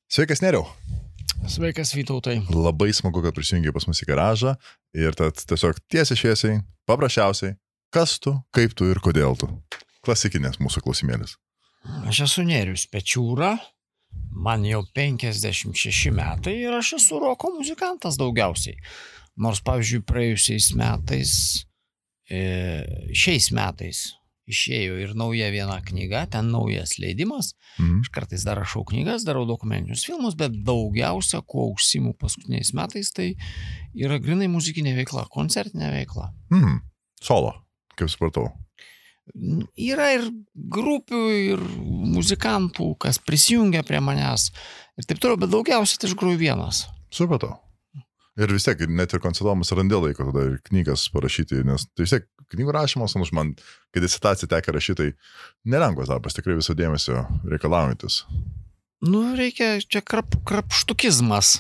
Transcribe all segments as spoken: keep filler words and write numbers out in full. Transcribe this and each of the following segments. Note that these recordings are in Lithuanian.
Sveikas, Neriau. Sveikas, Vytautai. Labai smagu, kad prisijungiai pas mus į garažą ir tad tiesiog tiesiai šviesiai, paprasčiausiai, kas tu, kaip tu ir kodėl tu. Klasikinės mūsų klausimėlis. Aš esu Nerius Pečiūra, man jau penkiasdešimt šeši metai ir aš esu roko muzikantas daugiausiai. Nors, pavyzdžiui, praėjusiais metais, e, šiais metais išėjo ir nauja viena knyga, ten naujas leidimas. Mhm. Aš kartais dar rašau knygas, darau dokumentinius filmus, bet daugiausia, kuo užsiimu paskutiniais metais, tai yra grinai muzikinė veikla, koncertinė veikla. Mhm. Solo, kaip supratau. Yra ir grupių, ir muzikantų, kas prisijungia prie manęs ir taip toliau, bet daugiausiai tai aš groju vienas. Supratau. Ir vis tiek, net ir koncertuojamas randė laiko tada ir knygas parašyti, nes tai vis tiek knygų rašymas, už man, kai disertaciją tekia rašytai, nelengvas darbas, tikrai viso dėmesio reikalaujantis. Nu, reikia, čia krap, krapštukizmas.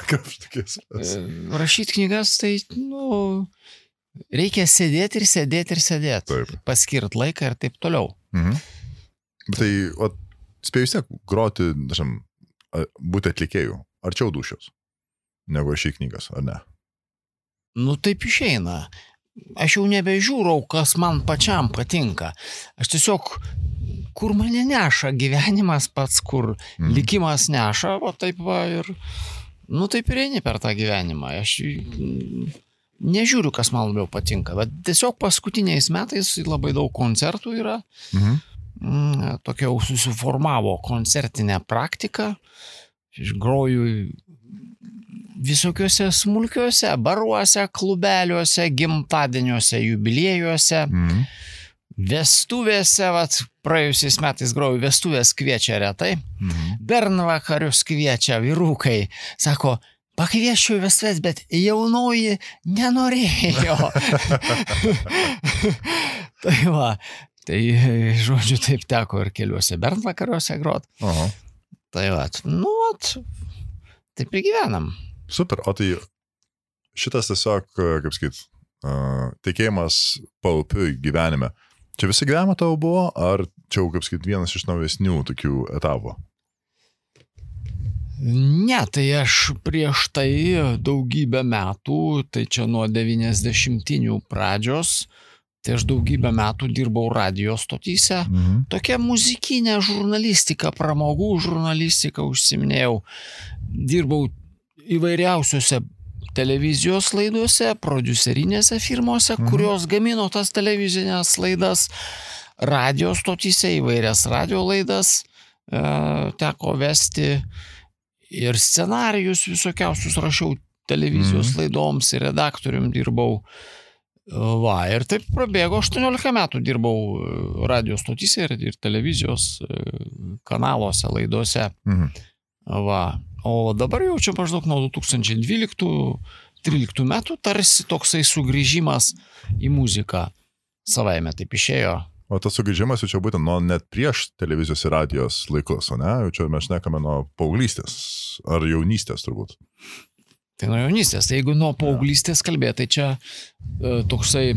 Krapštukizmas. Rašyti knygas, tai, nu, reikia sėdėti ir sėdėti ir sėdėti. Taip. Paskirt laiką ir taip toliau. Mhm. Bet tai, o, spėjau vis tiek groti, dažnai, būti atlikėjų, arčiau dušios, negu rašyti knygas, ar ne? Nu, taip išeina. Aš jau nebežiūrau, kas man pačiam patinka. Aš tiesiog, kur mane neša gyvenimas pats, kur mm. likimas neša, o taip va ir, nu taip ir eini per tą gyvenimą. Aš nežiūriu, kas man labiau patinka, bet tiesiog paskutiniais metais labai daug koncertų yra. Mm. Tokia jau susiformavo koncertinė praktika. Aš groju visokiuose smulkiuose baruose, klubeliuose, gimtadieniuose, jubiliejuose, Mhm. vestuvėse, vat, praėjusiais metais grojau, vestuvės kviečia retai, Mhm. bernvakarius kviečia vyrukai, sako, pakvieščiau į vestuvės, bet jaunoji nenorėjo. Tai va, tai žodžiu taip teko ir keliuose bernvakariuose grot. Aha. Tai va, nu, vat, taip ir gyvenam. Super, o tai šitas tiesiog, kaip sakyt, tikėjimas paupiu gyvenime. Čia visi gyvenimą tavo buvo, ar čia, kaip sakyt, vienas iš naujesnių tokių etapų? Ne, tai aš prieš tai daugybę metų, tai čia nuo devyniasdešimtinių pradžios, tai aš daugybę metų dirbau radijo stotyse. Mhm. Tokia muzikinė žurnalistika, pramogų žurnalistika užsiminėjau. Dirbau įvairiausiuose televizijos laidose, prodiuserinėse firmose, Mhm. kurios gamino tas televizinės laidas, radio stotyse, įvairias radio laidas e, teko vesti ir scenarijus visokiausius rašiau televizijos Mhm. laidoms ir redaktorium dirbau. Va, ir taip prabėgo aštuoniolika metų dirbau radio stotyse ir, ir televizijos kanaluose, laidose. Mhm. Va. O dabar jau čia maždaug nuo du tūkstančiai dvyliktų tryliktų metų tarsi toksai sugrįžimas į muziką savaime taip išėjo. O tas sugrįžimas jau čia būtent nuo net prieš televizijos ir radijos laikus, o ne? Jau čia mes šnekame nuo paauglystės ar jaunystės turbūt. Tai nuo jaunystės. Tai jeigu nuo paauglystės kalbėt, tai čia e, toksai,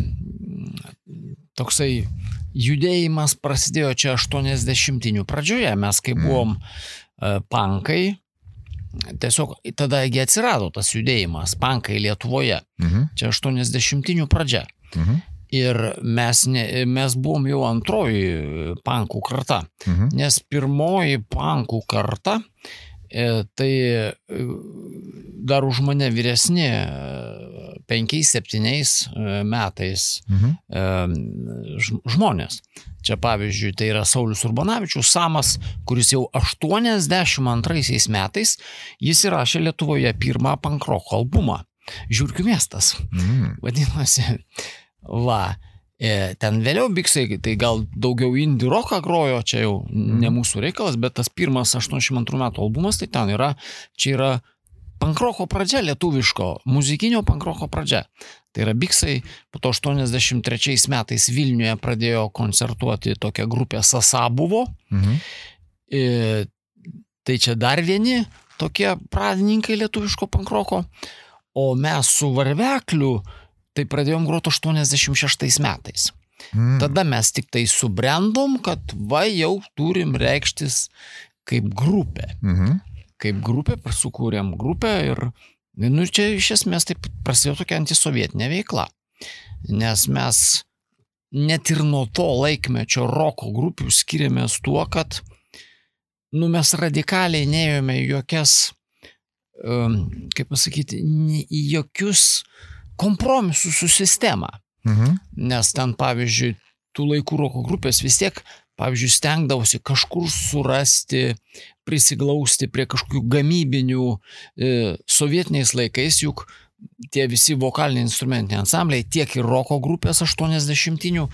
toksai judėjimas prasidėjo čia aštuoniasdešimtinių pradžioje. Mes kai buvom e, pankai, tiesiog tadagi atsirado tas judėjimas, pankai Lietuvoje. Mhm. Čia aštuoniasdešimtinių pradžia. Mhm. Ir mes, ne, mes buvom jau antroji pankų karta. Mhm. Nes pirmoji pankų karta, e, tai e, dar už mane vyresni e, penkiais, septyniais e, metais Mhm. e, ž, žmonės. Čia pavyzdžiui, tai yra Saulius Urbanavičius, Samas, kuris jau aštuoniasdešimt antraisiais metais, jis įrašė Lietuvoje pirmą pankroko albumą. Žiurkių miestas. Mhm. Vadinasi, va, e, ten vėliau biksai, tai gal daugiau indie rocką grojo, čia jau ne mūsų reikalas, bet tas pirmas aštuoniasdešimt antrų metų albumas, tai ten yra, čia yra pankroko pradžia lietuviško, muzikinio pankroko pradžia. Tai yra biksai, po to aštuoniasdešimt trečiais metais Vilniuje pradėjo koncertuoti tokia grupė Sasa buvo. Mhm. E, tai čia dar vieni tokie pradininkai lietuviško pankroko. O mes su Varvekliu tai pradėjom groti aštuoniasdešimt šeštais metais. Mhm. Tada mes tik tai subrendom, kad va jau turim reikštis kaip grupė. Mhm. kaip grupė, sukūrėm grupę ir, nu, čia iš esmės taip prasidėjo tokia antisovietinė veikla. Nes mes net ir nuo to laikmečio roko grupių skiriamės tuo, kad nu, mes radikaliai neėjome jokias, um, kaip pasakyti, į jokius kompromisus su sistema. Mhm. Nes ten, pavyzdžiui, tų laikų roko grupės vis tiek, pavyzdžiui, stengdavosi kažkur surasti, prisiglausti prie kažkokių gamybinių e, sovietiniais laikais, juk tie visi vokaliniai instrumentiniai ansambliai, tiek ir roko grupės aštuoniasdešimtinių,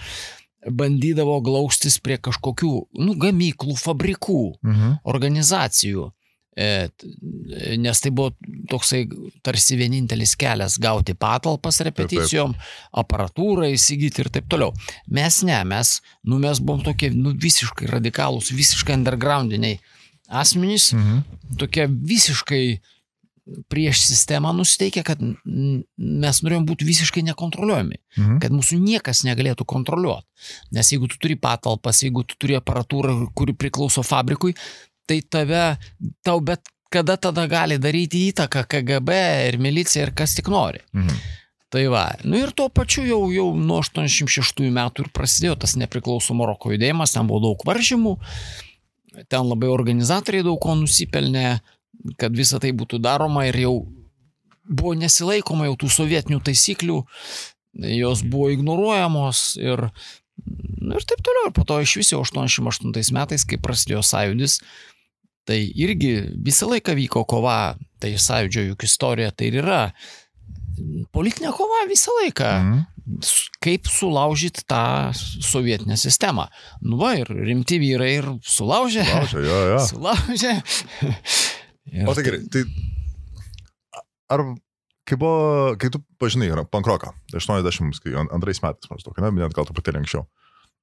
bandydavo glaustis prie kažkokių, nu, gamyklų, fabrikų, Mhm. organizacijų, e, nes tai buvo toksai tarsi vienintelis kelias gauti patalpas repeticijom, aparatūrą įsigyti ir taip toliau. Mes ne, mes, nu, mes buvom tokie, nu, visiškai radikalūs, visiškai undergroundiniai asmenys, Mhm. tokie visiškai prieš sistemą nusiteikę, kad mes norėjom būti visiškai nekontroliuojami, Mhm. kad mūsų niekas negalėtų kontroliuoti. Nes jeigu tu turi patalpas, jeigu tu turi aparatūrą, kuri priklauso fabrikui, tai tave, tau bet kada tada gali daryti įtaką K G B ir milicija ir kas tik nori. Mhm. Tai va, nu ir tuo pačiu jau, jau nuo aštuoniasdešimt šeštųjų metų ir prasidėjo tas nepriklausomo roko judėjimas, ten buvo daug varžymų, ten labai organizatoriai daug ko nusipelnė, kad visa tai būtų daroma ir jau buvo nesilaikoma jau tų sovietinių taisyklių, jos buvo ignoruojamos ir, nu, ir taip toliau. Ir po to iš viso aštuoniasdešimt aštuntais metais, kai prasidėjo sąjūdis, tai irgi visą laiką vyko kova, tai sąjūdžio juk istorija tai ir yra politinė kova visą laiką. Mhm. Kaip sulaužyti tą sovietinę sistemą. Nu va, ir rimti vyrai ir sulaužė. Laužia, jo, jo. Sulaužė. Ir O tai gerai, tai ar kai buvo, kai tu pažinai pankroką, aštuoniasdešimt antrais metais maždaug, ne, net gal truputėlį anksčiau,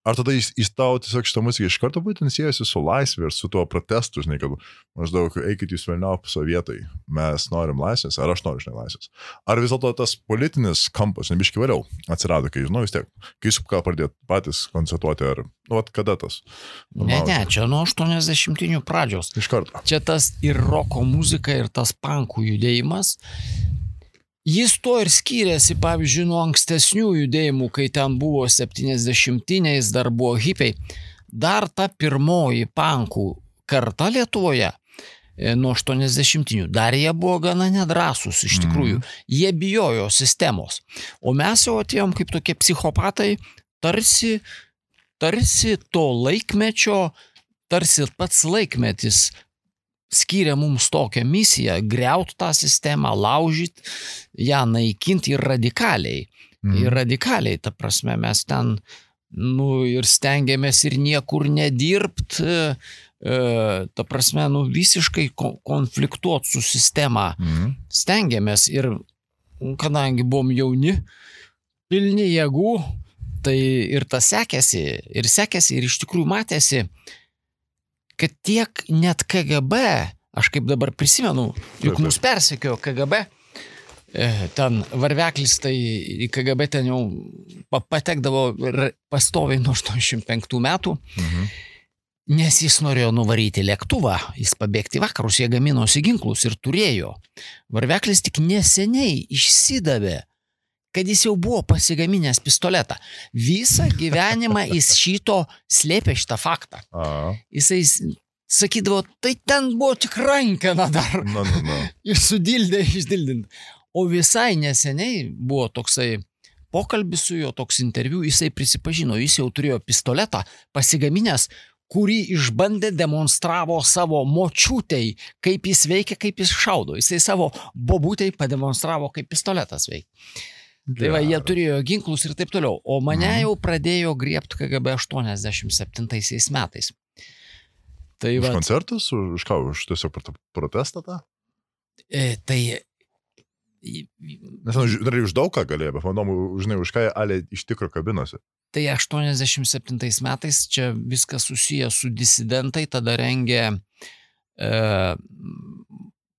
ar tada jis, jis tau tiesiog šitą muziką iš karto būtent siejasi su laisvė ir su tuo protestu, žinai, kad maždaug eikit jūs velniop sovietai, mes norim laisvės, ar aš noriu, žinai, laisvės. Ar vis dėlto tas politinis kampas, nebiškai vėliau, atsirado, kai, žinau, vis tiek, kai jūs ką pradėt patys koncertuoti, ar, nu, at kada tas? Ne, ne, čia nuo aštuoniasdešimtinių pradžios. Iš karto. Čia tas ir roko muzika, ir tas pankų judėjimas. Jis to ir skyrėsi, pavyzdžiui, nuo ankstesnių judėjimų, kai ten buvo septyniasdešimtiniais, dar buvo hipiai. Dar ta pirmoji pankų karta Lietuvoje nuo aštuoniasdešimtinių, dar jie buvo gana nedrąsūs iš tikrųjų. Mm. Jie bijojo sistemos. O mes jau atėjom kaip tokie psichopatai, tarsi, tarsi to laikmečio, tarsi pats laikmetis skyrė mums tokią misiją, griaut tą sistemą, laužyti, ją naikinti ir radikaliai. Mm. Ir radikaliai, ta prasme, mes ten, nu, ir stengiamės ir niekur nedirbt, e, ta prasme, nu, visiškai konfliktuot su sistema. Mm. Stengiamės ir, kadangi buvom jauni, pilni jėgų, tai ir tas sekėsi, ir sekėsi, ir iš tikrųjų matėsi, kad tiek net K G B, aš kaip dabar prisimenu, juk mus persekiojo K G B, ten varveklis, tai į K G B ten jau patekdavo pastoviai nuo aštuoniasdešimt penktų metų, mhm. nes jis norėjo nuvaryti lėktuvą, jis pabėgti vakarus, jie gaminosi ginklus ir turėjo. Varveklis tik neseniai išsidavė, kad jis jau buvo pasigaminęs pistoletą. Visą gyvenimą jis šito slėpė šitą faktą. A. Jisai sakydavo, tai ten buvo tik rankena dar. No, no, no. Ir sudildė, išdildint. O visai neseniai buvo toksai pokalbis su juo, toks interviu, jisai prisipažino, jis jau turėjo pistoletą pasigaminęs, kurį išbandė, demonstravo savo močiutei, kaip jis veikia, kaip jis šaudo. Jisai savo bobutei pademonstravo, kaip pistoletas veikia. Tai va, jie turėjo ginklus ir taip toliau. O mane jau pradėjo griebti K G B aštuoniasdešimt septintaisiais metais. Tai už va, koncertus? Už ką? Už tiesiog protestą tą? E, tai... Nes, dar už daug ką galėjo, bet manau, žinai, už ką ale iš tikro kabinosi. Tai aštuoniasdešimt septintais metais čia viskas susiję su disidentai, tada rengė e,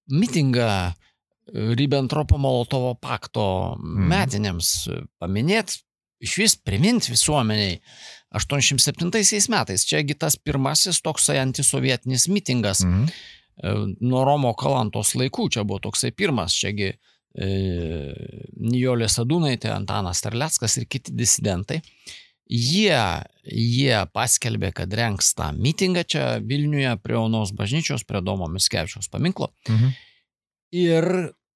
mitingą Ribbentropo-Molotovo pakto metinėms paminėti, iš vis priminti visuomeniai aštuoniasdešimt septintaisiais metais. Čiagi tas pirmasis toksai antisovietinis mitingas. Mhm. nuo Romo Kalantos laikų, čia buvo toksai pirmas, čiagi e, Nijolė Sadūnaitė, Antanas Terleckas ir kiti disidentai. Jie, jie paskelbė, kad rengs tą mitingą čia Vilniuje prie Onos bažnyčios, prie Domo Mickevičiaus paminklo. Mhm. Ir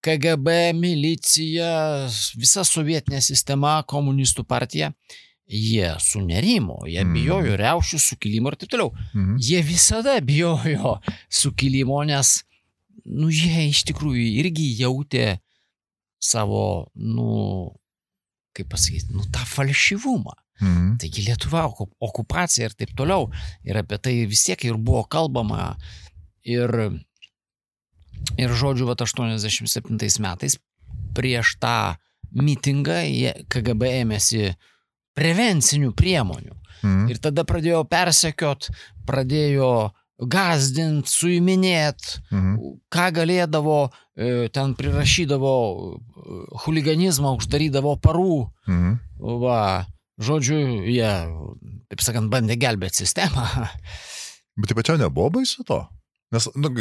K G B, milicija, visa sovietinė sistema, komunistų partija, jie sunerimo, jie mhm. bijojo riaušių, sukilimo ir taip toliau. Mhm. Jie visada bijojo sukilimo, nes nu, jie iš tikrųjų irgi jautė savo, nu, kaip pasakyti, nu, tą falšyvumą. Mhm. Taigi Lietuva, okupacija ir taip toliau. Ir apie tai vis tiek ir buvo kalbama. Ir, ir žodžiu, vat aštuoniasdešimt septintais metais prieš tą mitingą K G B ėmėsi prevencinių priemonių. Mhm. Ir tada pradėjo persekiot, pradėjo gazdint, suiminėt, mhm. ką galėdavo, ten prirašydavo chuliganizmą, uždarydavo parų. Mhm. Va. Žodžiu, jie, taip sakant, bandė gelbėti sistemą. Bet taip pačiau nebuvo baisu to? Nes, nu,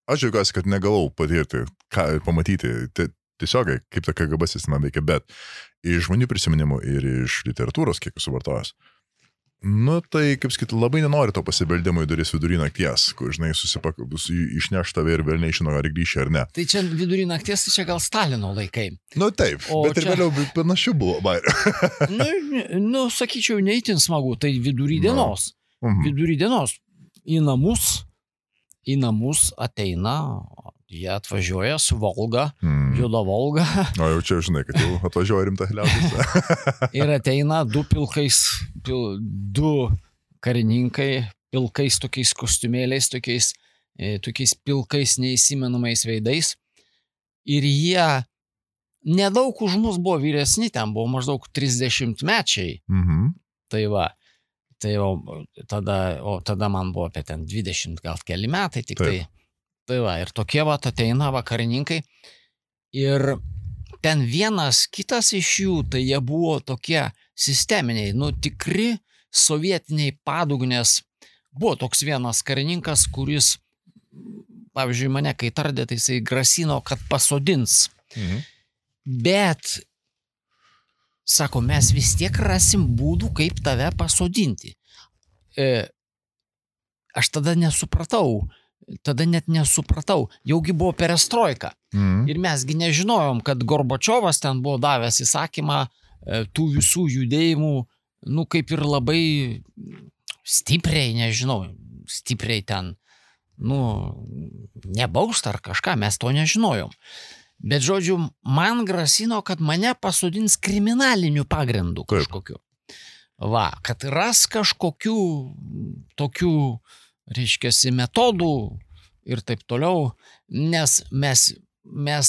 aš džiaugiuosi, kad negalau patirti, ką, pamatyti tiesiogiai, kaip ta K G B sistema veikia, bet iš žmonių prisiminimų ir iš literatūros, kiek esu vartojęs, nu, tai, kaip sakyti, labai nenori to pasibeldimo į duris vidury nakties, kur, žinai, susipak, išneš tave ir vėl nežino, ar grįši ar ne. Tai čia vidury nakties, tai čia gal Stalino laikai. Nu, taip, o bet čia... ir vėliau panašių buvo, bairių. nu, nu, sakyčiau, neįtin smagu, tai vidury dienos. No. Mhm. Vidury dienos. Į namus, į namus ateina... Jie atvažiuoja su Volga, mm. juoda Volga. O jau čia žinai, kad jau atvažiuoja rimta liaudis. Ir ateina du pilkais, pil, du karininkai, pilkais tokiais kostiumėliais, tokiais, e, tokiais pilkais neįsimenamais veidais. Ir jie nedaug už mus buvo vyresni, ten buvo maždaug trisdešimtmečiai. Mm-hmm. Tai va, tai o tada, o tada man buvo apie ten dvidešimt gal keli metai, tik Taip. tai... Tai va, ir tokie va ateina vakarininkai ir ten vienas kitas iš jų, tai jie buvo tokie sisteminiai, nu tikri sovietiniai padugnės. Buvo toks vienas karininkas, kuris, pavyzdžiui, mane kai tardė, tai jisai grasino, kad pasodins. Mhm. Bet, sako, mes vis tiek rasim būdų, kaip tave pasodinti. E, aš tada nesupratau. Tada net nesupratau, jaugi buvo perestroika. Mm. Ir mesgi nežinojom, kad Gorbačiovas ten buvo davęs įsakymą tų visų judėjimų, nu kaip ir labai stipriai, nežinau, stipriai ten, nu, nebaust ar kažką, mes to nežinojom. Bet žodžiu, man grasino, kad mane pasodins kriminaliniu pagrindu kažkokiu. Va, kad ras kažkokių tokių reiškiasi metodų ir taip toliau, nes mes, mes,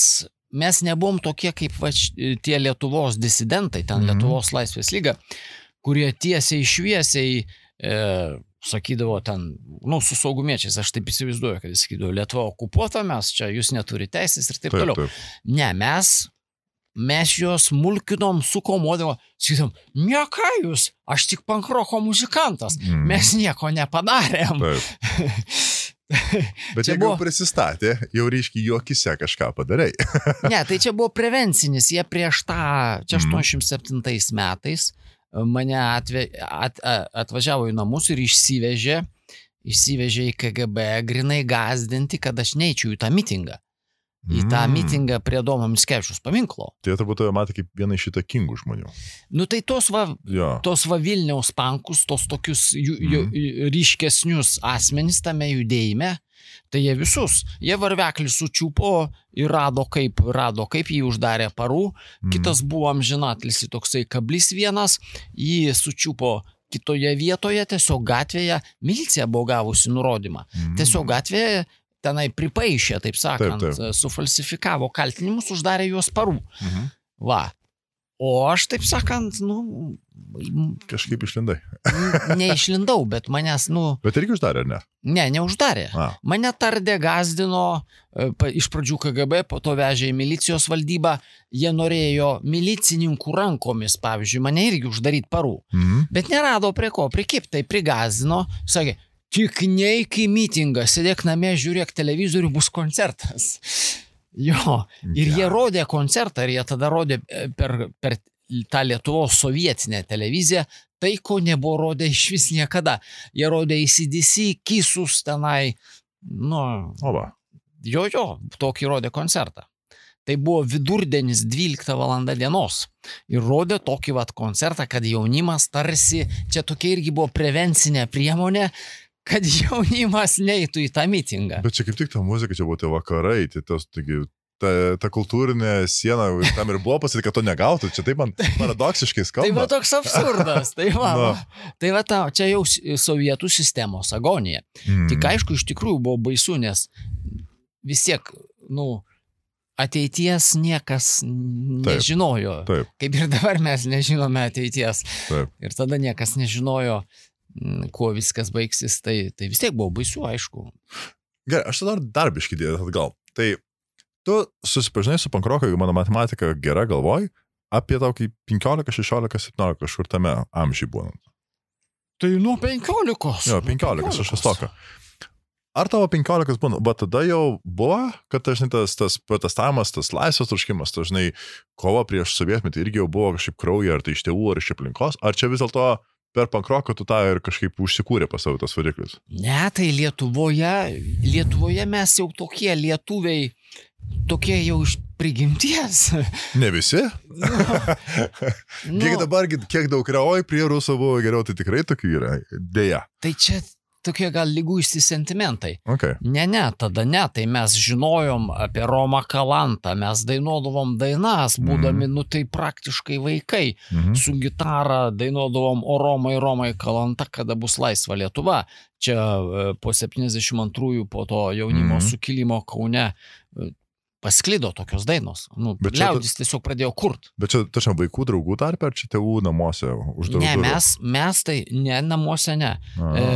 mes nebuvom tokie kaip va, tie Lietuvos disidentai, ten mm-hmm. Lietuvos laisvės lyga, kurie tiesiai šviesiai e, sakydavo ten, nu, su saugumiečiais, aš taip įsivaizduoju, kad jis sakydavo, Lietuva okupuota, mes čia, jūs neturi teisės ir taip, taip toliau. Taip. Ne, mes... Mes juos mulkinom, sukomodavo, sakytum, ne ką jūs, aš tik pankroko muzikantas, mm. mes nieko nepadarėm. Bet jeigu buvo... prisistatė, jau reiškia, juokise kažką padarai. Ne, tai čia buvo prevencinis, jie prieš tą, čia aštuoniasdešimt septintais metais mane atve, at, atvažiavo į namus ir išsivežė, išsivežė į K G B, grinai gazdinti, kad aš neičiau į tą mitingą. Į tą mm. mitingą prie Domo Mickevičiaus paminklo. Tai turbūt tave matė kaip viena iš įtakingų žmonių. Nu tai tos va, ja. tos va Vilniaus pankus, tos tokius jų, mm. jų, ryškesnius asmenys tame judėjime, tai jie visus, jie varveklį sučiupo ir rado kaip, rado kaip jį uždarė parų, mm. kitas buvo amžinatlis toksai kablys vienas, jį sučiupo kitoje vietoje, tiesiog gatvėje, milicija buvo gavusi nurodymą, mm. tiesiog gatvėje tenai pripaišė, taip sakant, taip, taip. Sufalsifikavo kaltinimus, uždarė juos parų. Mhm. Va. O aš, taip sakant, nu... Kažkaip išlindai. Neišlindau, bet manęs, nu... Bet irgi uždarė, ar ne? Ne, neuždarė. A. Mane tardė, gazdino, iš pradžių K G B, po to vežė į milicijos valdybą, jie norėjo milicininkų rankomis, pavyzdžiui, mane irgi uždaryti parų. Mhm. Bet nerado prie ko prikipti, tai prigazdino, sakė, tik neik į mitingą, sėdėk namie, žiūrėk televizorių, bus koncertas. Jo, ir jie rodė koncertą, ir jie tada rodė per, per tą Lietuvos sovietinę televiziją, tai ko nebuvo rodę iš vis niekada. Jie rodė A C D C, Kisus tenai, nu, Oba. jo, jo, tokį rodė koncertą. Tai buvo vidurdienis dvylikta valanda dienos ir rodė tokį vat koncertą, kad jaunimas tarsi, čia tokia irgi buvo prevencinė priemonė, kad jaunimas neįtų į tą mitingą. Bet čia kaip tik ta muzika, čia buvo tie vakarai, tai tas, taigi, ta, ta kultūrinė siena, tam ir buvo pasakyti, kad to negautų, čia taip man paradoksiškai skamba. Tai va toks absurdas, tai va, no. tai va ta, čia jau sovietų sistemos agonija. Mm. Tik aišku, iš tikrųjų buvo baisu, nes vis tiek, nu, ateities niekas nežinojo. Taip. Kaip ir dabar mes nežinome ateities. Taip. Ir tada niekas nežinojo, kuo viskas baigsis, tai, tai vis tiek buvo baisu, aišku. Gerai, aš tada dar biškį dėdė atgal. Tai tu susipažinai su pankroko, jeigu mano matematika gera galvoj, apie tokį penkiolika, šešiolika, septyniolika kažkur tame amžiai būnant. Tai nuo penkiolikos. Jo, penkiolikos, aš estoka. Ar tavo penkiolikos būna, bet tada jau buvo, kad dažnai tas, tas protestavimas, tas laisvės troškimas, dažnai kova prieš sovietmetį irgi jau buvo kažkaip krauja, ar tai iš tėvų, ar iš aplinkos, ar čia vis dėlto per pankroką tu tą ir kažkaip užsikūrė pas savo tas variklis? Ne, tai Lietuvoje, Lietuvoje mes jau tokie lietuviai, tokie jau iš prigimties. Ne visi? Nu, nu, kiek dabar, kiek daug yra, oi, prie rusų buvo geriau, tai tikrai tokių yra, dėja. Tai čia tokie gal liguisti sentimentai. Okay. Ne, ne, tada ne, tai mes žinojom apie Romą Kalantą, mes dainuodavom dainas, būdami, mm. nu tai praktiškai vaikai, mm-hmm. su gitara dainuodavom O Romai, Romai Kalanta, kada bus laisva Lietuva. Čia po septyniasdešimt antrųjų, po to jaunimo mm. sukilimo Kaune pasklido tokios dainos. Nu, liaudis ta... tiesiog pradėjo kurt. Bet čia, tačiau, vaikų draugų tarpe, ar čia tėvų namuose uždarų? Ne, mes, mes tai, ne, namuose ne. E,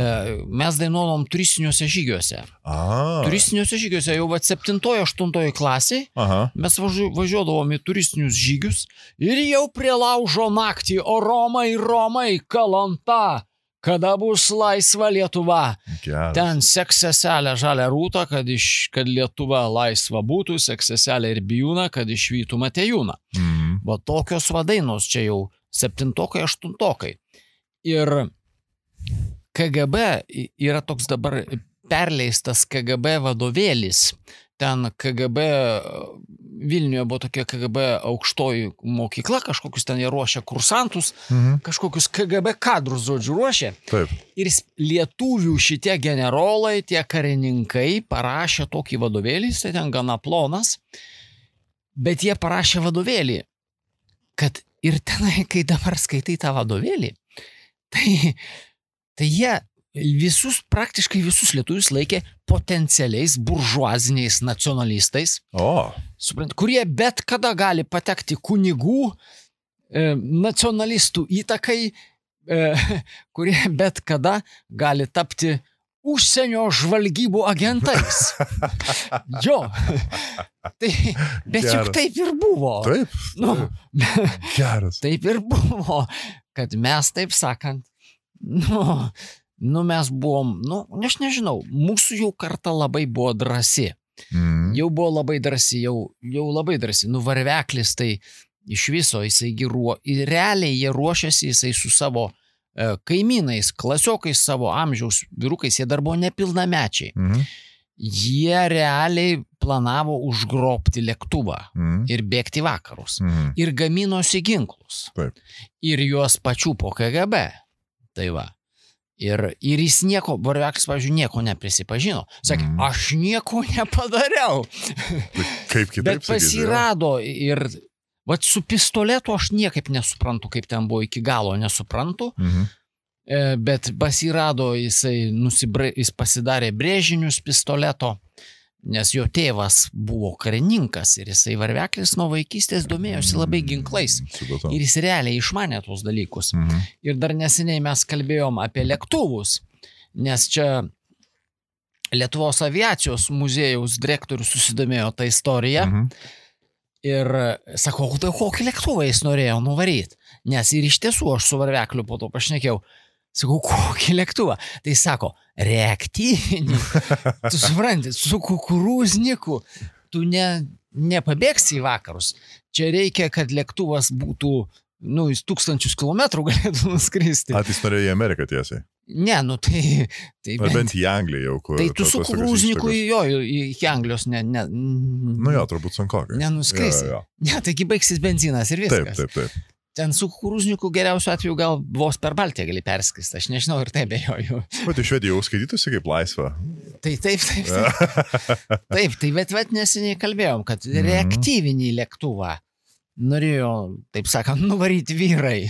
mes dainuodavom turistiniuose žygiuose. A. Turistiniuose žygiuose jau va septintojo, aštuntojo klasiai, Aha. mes važiu, važiuodavom į turistinius žygius ir jau prie laužo naktį, O Romai, Romai, Kalanta, kada bus laisva Lietuva. Geras. Ten seks seselę žalią rūtą, kad, iš, kad Lietuva laisva būtų, seks seselę ir bijūną, kad išvytų Matejūną. Mm. Va tokios vadainos čia jau septintokai, aštuntokai. Ir K G B yra toks dabar perleistas K G B vadovėlis. Ten K G B, Vilniuje buvo tokia K G B aukštoji mokykla, kažkokius ten jie ruošia kursantus, mhm. kažkokius K G B kadrus, žodžiu, ruošia. Taip. Ir lietuvių šitie generolai, tie karininkai parašė tokį vadovėlį, tai ten gana plonas, bet jie parašė vadovėlį, kad ir tenai, kai dabar skaitai tą vadovėlį, tai, tai jie visus, praktiškai visus lietuvius laikė potencialiais buržuaziniais nacionalistais, o. Suprant, kurie bet kada gali patekti kunigų, e, nacionalistų įtakai, e, kurie bet kada gali tapti užsienio žvalgybų agentais. Jo. Tai, bet Geras. Juk taip ir buvo. Taip. Nu, Geras. Taip ir buvo, kad mes, taip sakant, nu, Nu, mes buvom, nu, aš nežinau, mūsų jau karta labai buvo drąsi. Mm. Jau buvo labai drąsi, jau, jau labai drąsi. Nu, Varveklis tai iš viso, jisai ruo, realiai jie ruošiasi, jisai su savo e, kaimynais, klasiokais savo amžiaus vyrukais, jie dar buvo nepilnamečiai. Mm. Jie realiai planavo užgrobti lėktuvą mm. ir bėgti vakarus. Mm. Ir gaminosi ginklus. Taip. Ir juos pačių po K G B. Tai va. Ir, ir jis nieko, Varveklis, pavyzdžiui, nieko neprisipažino. Sakė, mm. aš nieko nepadariau. Kaip kitaip Bet pasirado ir vat su pistoletu aš niekaip nesuprantu, kaip ten buvo iki galo, nesuprantu. Mhm. E, bet pasirado, jisai nusibra, jis pasidarė brėžinius pistoleto, nes jo tėvas buvo karininkas ir jisai Varveklis nuo vaikystės domėjosi labai ginklais. Supratau. Ir jis realiai išmanė tuos dalykus. Mhm. Ir dar neseniai mes kalbėjom apie lėktuvus, nes čia Lietuvos aviacijos muziejaus direktorius susidomėjo tą istoriją. Mhm. Ir sakau, tai kokį lėktuvą jis norėjo nuvaryti. Nes ir iš tiesų aš su Varvekliu po to pašnekėjau. Sakau, kokį lėktuvą? Tai sako, reaktyvinį. Tu supranti, su kukurūzniku tu ne, nepabėgsi į vakarus. Čia reikia, kad lėktuvas būtų, nu, jis tūkstančius kilometrų galėtų nuskristi. A, tai jis norėjo į Ameriką tiesiai? Ne, nu tai... tai Ar bent į Angliją jau, kur... Tai tu su kukurūzniku jo, iki Anglijos ne... ne nu jo, turbūt sunkokai. Nenuskrisi. Jo, jo. Ne, taigi baigsis benzinas ir viskas. Taip, taip, taip. Ten su kukurūzniku geriausiu atveju gal vos per Baltiją gali perskristi, aš nežinau ir taip bejoju. O tai Švedija jau skaitytųsi kaip laisva. Tai taip, taip, taip. Taip, tai bet, bet neseniai kalbėjom, kad mm-hmm. reaktyvinį lėktuvą norėjo, taip sakant, nuvaryti vyrai.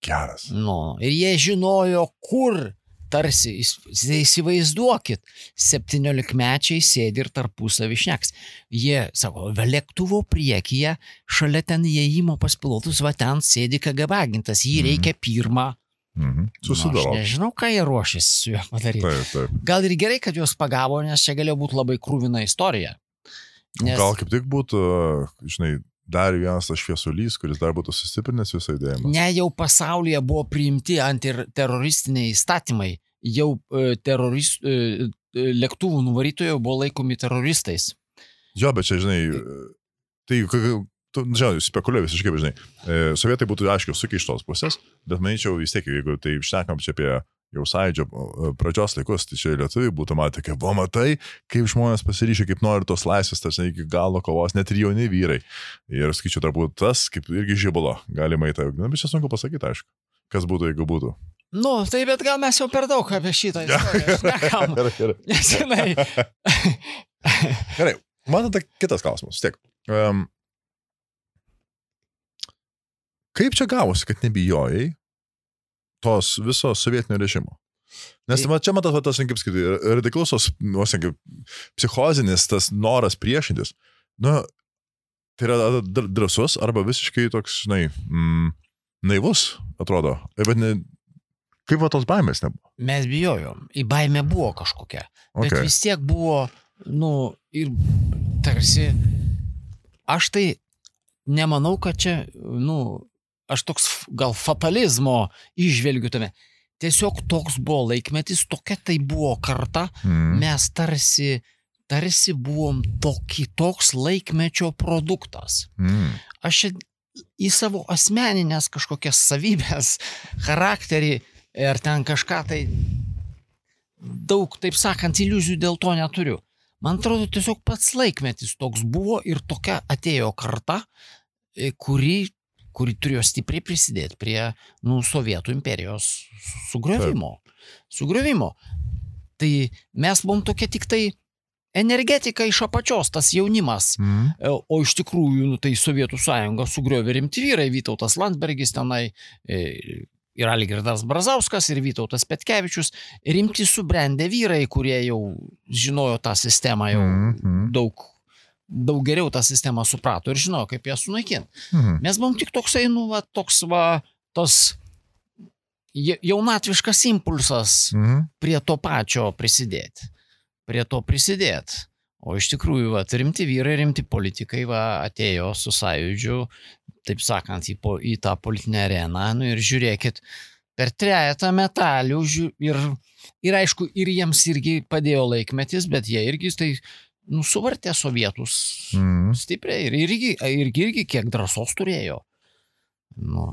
Geras. Nu, ir jie žinojo, kur tarsi, įsivaizduokit, septyniolikmečiai sėdi ir tarpusavį šneks. Jie, sako, lėktuvo priekyje, šalia ten įėjimo pas pilotus, va ten sėdi K G B agentas, jį reikia pirmą. Mhm. Susidaro. Nu, aš nežinau, ką jie ruošėsi su juo padaryti. Taip, taip. Gal ir gerai, kad juos pagavo, nes čia galėjo būti labai krūvina istorija. Nes... Gal kaip tik būtų, žinai, dar vienas tas šviesulys, kuris dar būtų sustiprinęs visą judėjimą. Ne, jau pasaulyje buvo priimti antiteroristiniai įstatymai. Jau e, terorist, e, lėktuvų nuvarytojai buvo laikomi teroristais. Jo, bet čia, žinai, tai, tu, žinai, spekuliuoju visiškai, žinai, e, sovietai būtų, aišku, sukiai iš tos pusės, bet manyčiau vis tiek, jeigu tai šnekam čia apie jau sąjūdžio pradžios laikus, tai čia lietuviai būtų matę, kaip, va, matai, kaip žmonės pasiryšia, kaip nori tos laisvės, tas iki galo kovos, net ir jauni vyrai. Ir skaičiu, dar būtų tas, kaip irgi žibalo, galima į tai, na, bet čia sunku pasakyti, aišku, kas būtų, jeigu būtų. Nu, tai bet gal mes jau per daug apie šitą istoriją šnekam. Gerai, gerai. Man tada kitas klausimas, tiek. Um, kaip čia gavosi, kad nebijojai tos viso sovietinio režimo? Nes tai, čia matas, tas, kaip sakyti, radikalus, psichozinis, tas noras priešintis. Nu, tai yra drąsus arba visiškai toks, žinai, mm, naivus, atrodo. Bet ne, kaip va tos baimės nebuvo? Mes bijojom. Į baimę buvo kažkokia. Okay. Bet vis tiek buvo, nu, ir tarsi, aš tai nemanau, kad čia, nu, aš toks gal fatalizmo išvelgiu tame. Tiesiog toks buvo laikmetis, tokia tai buvo karta, mm. mes tarsi, tarsi buvom toki, toks laikmečio produktas. Mm. Aš į savo asmeninės kažkokias savybės, charakterį ir ten kažką tai daug, taip sakant, iliuzijų dėl to neturiu. Man atrodo, tiesiog pats laikmetis toks buvo ir tokia atėjo karta, kuri kuri turėjo stipriai prisidėti prie, nu, Sovietų imperijos sugriovimo. Sugriovimo. Tai mes buvom tokie tik tai energetika iš apačios, tas jaunimas. Mm. O iš tikrųjų, nu, tai Sovietų sąjunga sugriovė rimti vyrai, Vytautas Landsbergis tenai, ir Algirdas Brazauskas, ir Vytautas Petkevičius, rimti subrendę vyrai, kurie jau žinojo tą sistemą jau mm. daug daug geriau tą sistemą suprato ir žinojo, kaip ją sunaikinti. Mhm. Mes buvom tik toksai, nu, va, toks, va, tos jaunatviškas impulsas mhm. prie to pačio prisidėti. Prie to prisidėti. O iš tikrųjų, va, rimti vyrai, rimti politikai, va, atėjo su sąjūdžiu, taip sakant, į, po, į tą politinę areną, nu, ir žiūrėkit, per trejetą metalių, ir, ir aišku, ir jiems irgi padėjo laikmetis, bet jie irgi tai nu, suvartė sovietus mm. stipriai ir irgi, irgi, irgi kiek drąsos turėjo. Nu,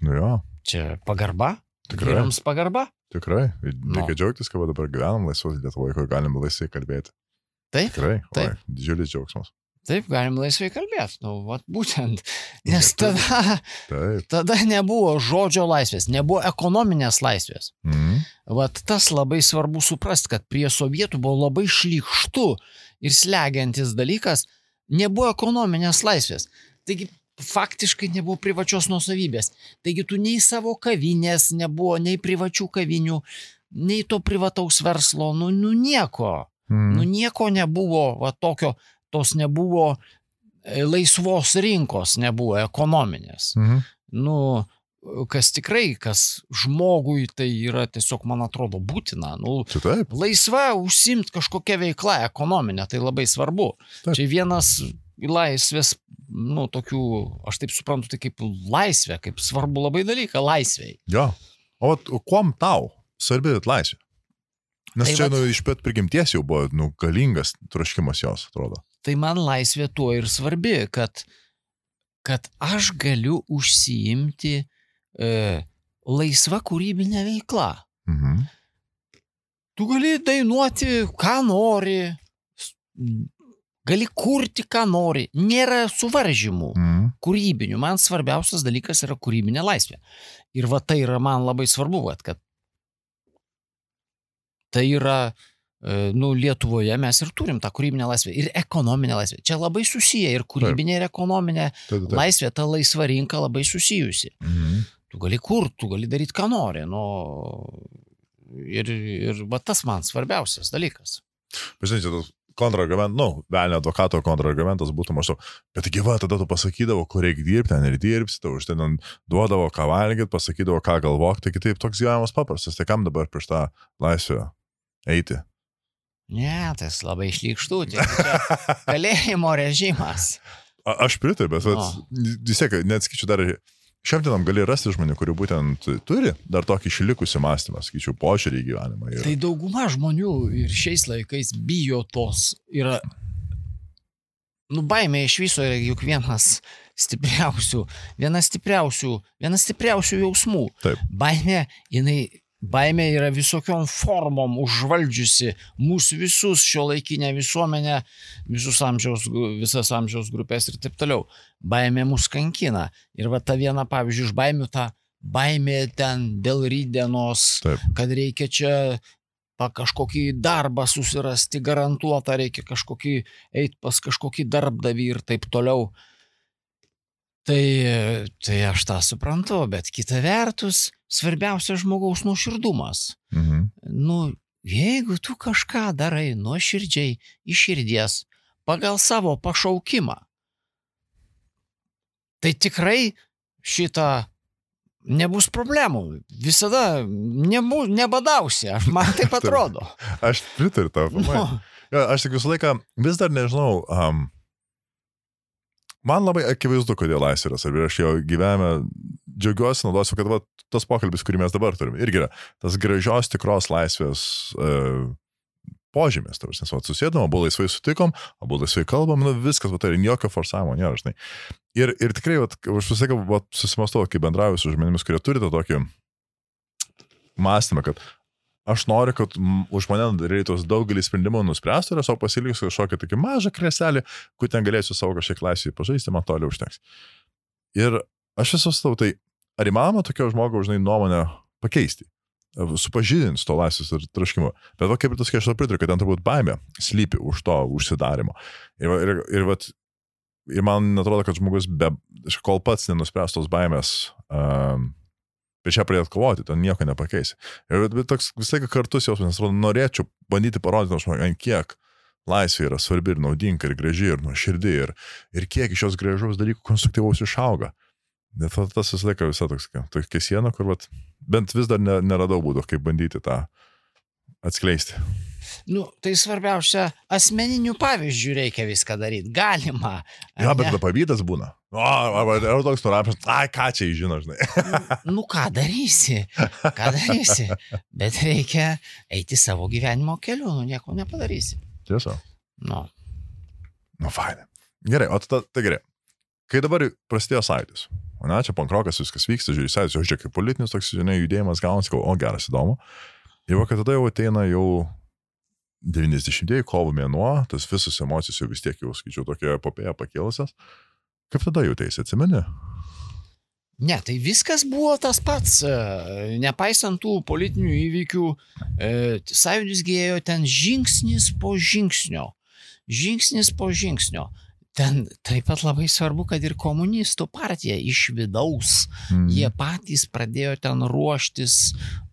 nu jo. Čia pagarba. Tikrai. Vyrams pagarba. Tikrai. Reikia džiaugtis, kad dabar gyvenam laisvos Lietuvoje, kur galim laisvai kalbėti. Taip. Tikrai. Taip. Oi, didžiulis džiaugsmas. Taip, galim laisvai kalbėti. Nu, vat būtent. Nes tada, Taip. tada nebuvo žodžio laisvės, nebuvo ekonominės laisvės. Mm. Vat tas labai svarbu suprasti, kad prie sovietų buvo labai šlykštu ir slegiantis dalykas, nebuvo ekonominės laisvės. Taigi faktiškai nebuvo privačios nuosavybės. Taigi tu nei savo kavinės nebuvo, nei privačių kavinių, nei to privataus verslo, nu, nu nieko. Mm. Nu nieko nebuvo, va tokio, tos nebuvo laisvos rinkos, nebuvo ekonominės. Mhm. Nu, kas tikrai, kas žmogui tai yra tiesiog, man atrodo, būtina. Nu, taip. Laisva užsiimti kažkokią veiklą ekonominę, tai labai svarbu. Taip. Čia vienas laisvės, nu, tokių, aš taip suprantu, tai kaip laisvė, kaip svarbu labai dalyką, laisvei. Jo. O vat, kuom tau svarbi laisvė? Nes Tai čia vat- nu, iš pat prigimties jau buvo nu, galingas troškimas jos, atrodo. Tai man laisvė tuo ir svarbi, kad, kad aš galiu užsiimti e, laisva kūrybinė veikla. Mhm. Tu gali dainuoti, ką nori, gali kurti, ką nori. Nėra suvaržymų Mhm. kūrybinių. Man svarbiausias dalykas yra kūrybinė laisvė. Ir va tai yra man labai svarbu, va, kad tai yra, e, nu, Lietuvoje mes ir turim tą kūrybinę laisvę ir ekonominę laisvę. Čia labai susiję ir kūrybinė ir ekonominė Taip, taip, taip. laisvė, ta laisva rinka labai susijusi. Mhm. Tu gali kurti, tu gali daryti, ką nori. Nu, ir, ir va tas man svarbiausias dalykas. Pažinai, tas kontrargumentas, nu, velnio advokato kontrargumentas būtų maždaug, bet gyva, tada tu pasakydavo, kur reikia dirbti, ten ir dirbsi, tau už ten duodavo, ką valgyti, pasakydavo, ką galvok, tai kitaip toks gyvenimas paprastas, tai kam dabar prieš tą laisvę eiti? Ne, tas labai šlykštų, čia kalėjimo režimas. A, aš pritariu, bet vat, vis tiek, neatskaičiu dar, šiam dienam gali rasti žmonių, kurių būtent turi dar tokį išlikusi mąstymą, skaičiu, požiūrį į gyvenimą. Ir... Tai dauguma žmonių ir šiais laikais bijo tos, yra, nu, baimė iš viso yra juk vienas stipriausių, vienas stipriausių, vienas stipriausių jausmų. Taip. Baimė, jinai, baimė yra visokiom formom užvaldžiusi mūsų visus šio laikinę visuomenę, visus amžiaus, visas amžiaus grupės ir taip toliau. Baimė mus kankina. Ir va ta viena, pavyzdžiui, iš baimių ta baimė ten dėl rydienos, Taip. kad reikia čia pa kažkokį darbą susirasti, garantuotą reikia kažkokį, eit pas kažkokį darbdavį ir taip toliau. Tai, tai aš tą suprantu, bet kita vertus, svarbiausia žmogaus nuoširdumas. Mhm. Nu, jeigu tu kažką darai nuoširdžiai, iš širdies, pagal savo pašaukimą, tai tikrai šitą nebus problemų. Visada nebu, nebadausi, aš man taip atrodo. Aš pritariu tau, pamai. Nu, Ja, aš tik visą laiką vis dar nežinau, um, man labai akivaizdu, kodėl laisvė yra svarbi. Aš jau gyvenime džiaugiuosi, naudosiu, kad va, tas pokalbis, kurį mes dabar turim, irgi yra tas gražios tikros laisvės uh, požymės. Nes va, susėdam, abu laisvai sutikom, abu laisvai kalbam, nu viskas, va, tai jokio forsavimo nėra, žinai. Ir, ir tikrai, va, aš visą laiką susimastau, kai bendrauju su žmonėmis, kurie turi tą tokį mąstymą, kad aš noriu, kad už mane reitus daugelį sprendimų nuspręstų ir aš savo pasiliksiu kažkokią tokį mažą kreselį, kur ten galėsiu savo kažkiek laisvį pažaisti, man toliau užteks. Ir aš esu stau, tai ar įmanoma tokio žmogaus, žinai, nuomonę pakeisti, supažydinti to laisvės ir troškimo. Bet va, kaip ir tas, kai aš to pritariu, kad ten turbūt baimė slypi už to užsidarimo. Ir, ir, ir, ir, ir man atrodo, kad žmogus, be, kol pats nenuspręs tos baimės, um, prieš ją pradėt kovoti, ten nieko nepakeisi. Ir bet toks visą laiką kartus jausmas, nes atrodo, norėčiau bandyti parodyti, ant kiek laisvė yra svarbi ir naudinga ir graži ir nuoširdi ir, ir kiek iš jos gražaus dalykų konstruktyvaus išauga. Net tas visą laiką visą toks, tokia siena, kur vat, bent vis dar ne, neradau būdų, kaip bandyti tą atskleisti. nu, tai svarbiausia, asmeninių pavyzdžių reikia viską daryti. Galima. Ja, bet tada pavydas būna. O, arba ar toks nurašęs, ai, ką čia žino, žinai. Nu, ką darysi, ką darysi, bet reikia eiti savo gyvenimo keliu, nu, nieko nepadarysi. Tiesa. Nu. Nu, fainai. Gerai, o tada, tai gerai. Kai dabar prasidėjo sąjūdis, o ne, čia pankrokas viskas vyksta, žiūrėjai, sąjūdis, o žiūrėk, kaip politinis toks, žinai, judėjimas gaunasi, o geras, įdomu. Ir va, kad tada jau ateina jau devyniasdešimtieji kovo mėnuo, tas visos emocijos jau vis tiek jau, skaičiau, tokia epopėja pakėlusios. Kaip tada jautėsi, atsimeni? Ne, tai viskas buvo tas pats, nepaisant tų politinių įvykių, sąjūdis gėjo ten žingsnis po žingsnio, žingsnis po žingsnio. Ten taip pat labai svarbu, kad ir komunistų partija iš vidaus, mm. jie patys pradėjo ten ruoštis,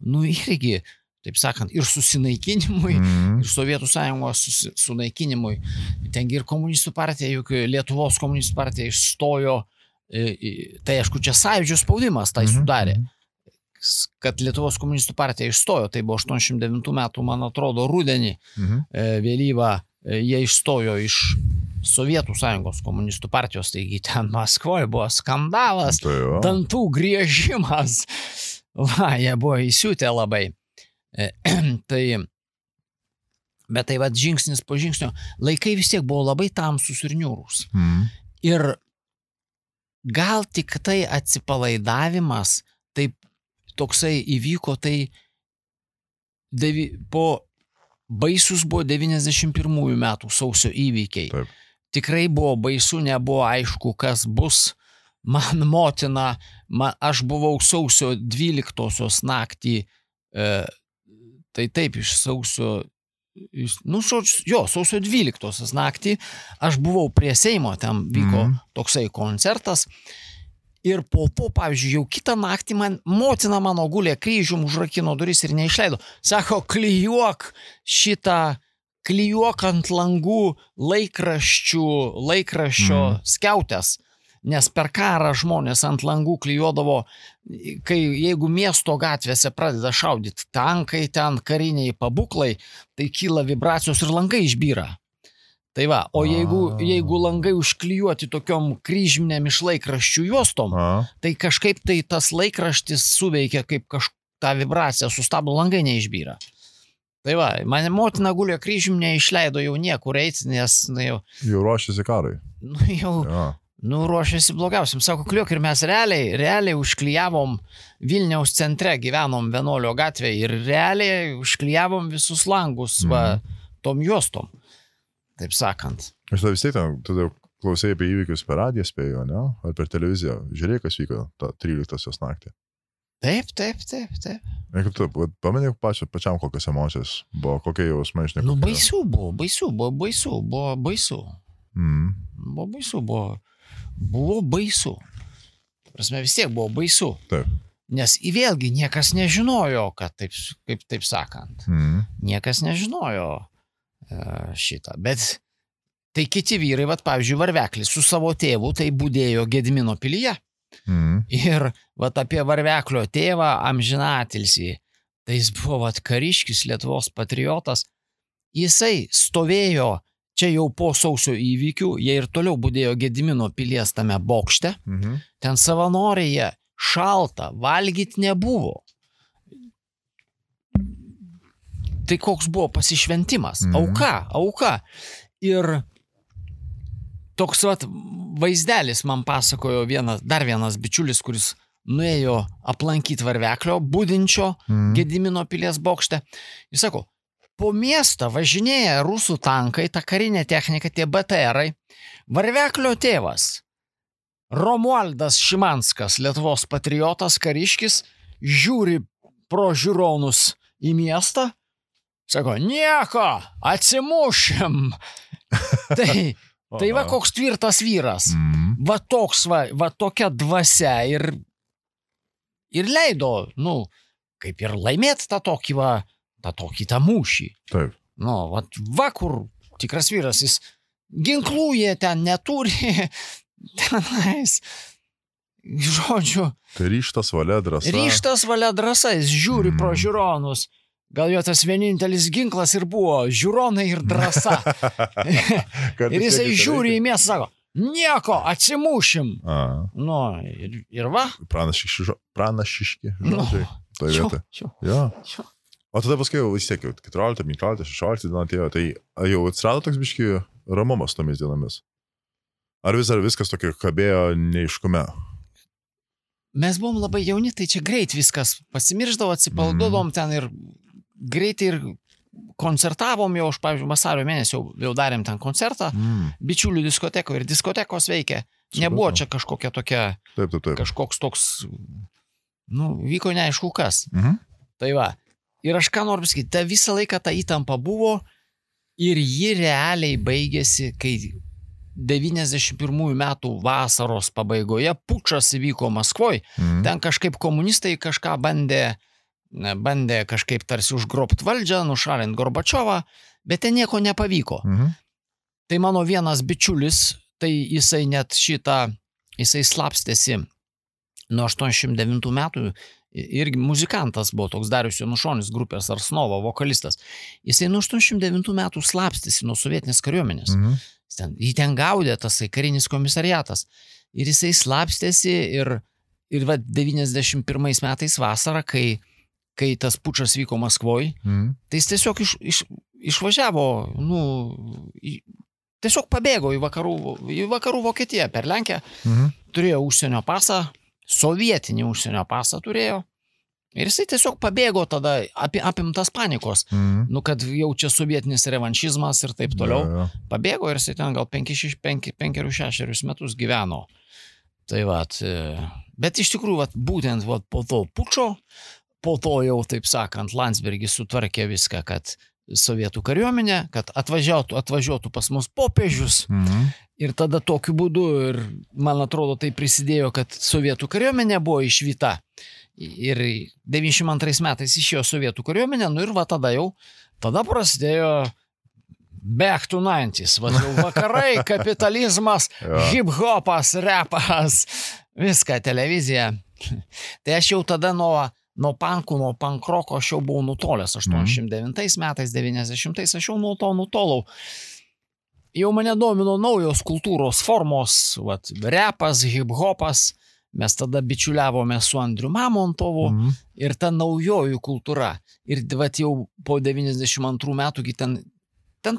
nu irgi, taip sakant, ir susinaikinimui, mm. ir Sovietų sąjungos sunaikinimui. Tengi ir komunistų partija, juk Lietuvos komunistų partija išstojo, tai aišku, čia sąjūdžio spaudimas tai sudarė, kad Lietuvos komunistų partija išstojo, tai buvo aštuoniasdešimt devintų metų, man atrodo, rudenį, mm. vėlyvą, jie išstojo iš Sovietų sąjungos komunistų partijos, taigi ten Maskvoje buvo skandalas, tai dantų griežimas. Va, jie buvo įsiūtę labai. Tai, bet tai va, žingsnis po žingsnio, laikai vis tiek buvo labai tamsus ir niūrus. Mm. Ir gal tik tai atsipalaidavimas, taip toksai įvyko, tai devi, po baisus buvo devyniasdešimt pirmųjų metų sausio įvykiai. Taip. Tikrai buvo baisu, nebuvo aišku, kas bus. Man motina, man, aš buvau sausio dvyliktosios naktį, e, tai taip iš sausio, iš, nu, jo, sausio dvyliktosios naktį, aš buvau prie Seimo, ten vyko mm. toksai koncertas. Ir po, po, pavyzdžiui, jau kitą naktį man, motina mano gulė kryžium, užrakino duris ir neišleido. Sako, klijuok šitą, klijuok ant langų laikraščių, laikraščio mm. skiautės. Nes per karą žmonės ant langų klijuodavo, kai jeigu miesto gatvėse pradeda šaudyti tankai, ten kariniai pabuklai, tai kyla vibracijos ir langai išbyra. Tai va, o jeigu, jeigu langai užklijuoti tokiom kryžminėm iš laikraščių juostom, A. tai kažkaip tai tas laikraštis suveikia kaip kažką vibraciją, sustabdo langai neišbyra. Tai va, mane motina gulė kryžim neišleido jau niekur eiti, nes nu, jau... Jau ruošiasi karai. Nu, jau... Ja. Nu, ruošiasi blogiausiam. Sako, kliuok, ir mes realiai, realiai užklijavom Vilniaus centre, gyvenom Vienuolio gatvėje ir realiai užklijavom visus langus mm. va, tom juostom. Taip sakant. Aš tada vis tiek, tu klausai apie įvykius per radiją spėjo, ne? Ar per televiziją? Žiūrėjai, kas vyko tą tryliktosios naktį? Taip, taip, taip, taip. Ir kaip tu, pamenė pačia, pačiam kokios emocijos buvo, kokie jausmai, žinai. Nu, baisu buvo, baisu, buvo baisu, buvo baisu. Mm. Buvo baisu, buvo, buvo baisu. Prasme, vis tiek buvo baisu. Taip. Nes vėlgi niekas nežinojo, kad taip, kaip taip sakant. Mm. Niekas nežinojo šitą, bet tai kiti vyrai, vat, pavyzdžiui, Varveklis su savo tėvu, tai budėjo Gedimino pilyje. Mm. Ir vat, apie Varveklio tėvą amžinatilsį, tai jis buvo vat, kariškis, Lietuvos patriotas, jisai stovėjo čia jau po sausio įvykių, jie ir toliau budėjo Gedimino pilies tame bokšte, mm-hmm. ten savanoriai šalta, valgyti nebuvo. Tai koks buvo pasišventimas, mm. auka, auka. Ir toks vat, vaizdelis man pasakojo vienas, dar vienas bičiulis, kuris nuėjo aplankyti Varveklio, budinčio mm. Gedimino pilies bokšte. Jis sako, po miestą važinėja rusų tankai, ta karinė technika, tie B T R-ai. Varveklio tėvas, Romualdas Šimanskas, Lietuvos patriotas, kariškis, žiūri pro žiūronus į miestą. Sako, nieko, atsimušim. tai, tai va koks tvirtas vyras. Mm. Va toks, va, va tokia dvasia ir, ir leido, nu, kaip ir laimėti tą tokį, va, tą tokį tą mūšį. Taip. Nu, va, va kur tikras vyras, jis ginklų jie ten neturi, tenais, žodžiu. Tai ryštas valia drąsa. Ryštas valia drąsa, jis žiūri mm. pro žiūronus. Gal jo tas vienintelis ginklas ir buvo žiūronai ir drąsa. ir jisai žiūri į miestą, sako, nieko, atsimušim. A. Nu, ir, ir va. Pranašiški, pranašiški žodžiai. Nu, toje vietoje. Ja. O tada paskui jau vis tiek, keturiolikta, penkiolikta, šešiolikta diena atėjo, tai jau atsirado toks biški ramumas tomis dienomis. Ar vis ar viskas tokio kabėjo neiškume? Mes buvom labai jauni, tai čia greit viskas pasimirždavo, atsipalduodom mm. ten ir greitai ir koncertavom jau, aš, pavyzdžiui, vasario mėnesį jau, jau darėm ten koncertą, mm. bičiulių diskoteko ir diskotekos veikė. Nebuvo čia kažkokia tokia, taip, taip, taip. kažkoks toks, nu, vyko neaišku kas. Mhm. Tai va, ir aš ką noriu pasakyti, ta visą laiką ta įtampa buvo ir ji realiai baigėsi, kai devyniasdešimt pirmųjų metų vasaros pabaigoje pučas įvyko Maskvoje, mhm. ten kažkaip komunistai kažką bandė, bandė kažkaip tarsi užgrobt valdžią, nušalint Gorbačiovą, bet ten nieko nepavyko. Mhm. Tai mano vienas bičiulis, tai jisai net šitą, jisai slapstėsi nuo aštuoniasdešimt devintų metų, irgi muzikantas buvo toks Darius Janušonis grupės Arsnovo, vokalistas. Jisai nuo aštuoniasdešimt devintų metų slapstėsi nuo sovietinės kariuomenės. Mhm. Ten, jį ten gaudė tasai karinis komisariatas. Ir jisai slapstėsi ir, ir va, devyniasdešimt pirmais metais vasarą, kai, kai tas pučas vyko Maskvoj, Mm. tai jis tiesiog iš, iš, išvažiavo, nu, į, tiesiog pabėgo į vakarų, į vakarų Vokietiją per Lenkiją, Mhm. turėjo užsienio pasą, sovietinį užsienio pasą turėjo. Ir jisai tiesiog pabėgo tada api, apimtas panikos, Mhm. nu, kad jau čia sovietinis revanšizmas ir taip toliau. Ja, ja. Pabėgo ir jisai ten gal penkerius šešerius metus gyveno. Tai vat, bet iš tikrųjų, vat, būtent vat, po to pučo, po to jau, taip sakant, Landsbergis sutvarkė viską, kad sovietų kariuomenė, kad atvažiuotų, atvažiuotų pas mus popiežius. Mhm. Ir tada tokiu būdu, ir man atrodo, tai prisidėjo, kad sovietų kariuomenė buvo išvyta. Ir devyniasdešimt antrais metais išėjo sovietų kariuomenė, nu ir va tada jau, tada prasidėjo back to nineties, va jau vakarai, kapitalizmas, Ja. hip-hopas, repas, viską, televizija. Tai aš jau tada nuo, nuo pankų, nuo pankroko aš jau buvau nutolęs, aštuoniasdešimt devintais metais, devyniasdešimtais aš jau nuo to nutolau. Jau mane domino naujos kultūros formos, vat, repas, hip-hopas, mes tada bičiuliavome su Andriu Mamontovu Mhm. ir ta naujoji kultūra. Ir vat, jau po devyniasdešimt antrų metų, kai ten, ten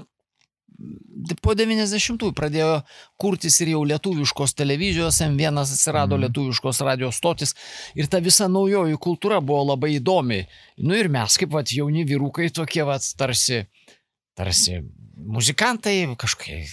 po devyniasdešimtųjų pradėjo kurtis ir jau lietuviškos televizijos, M vienas atsirado Mhm. lietuviškos radio stotis ir ta visa naujoji kultūra buvo labai įdomi. Nu ir mes kaip vat, jauni vyrukai tokie vat, tarsi, tarsi muzikantai, kažkokie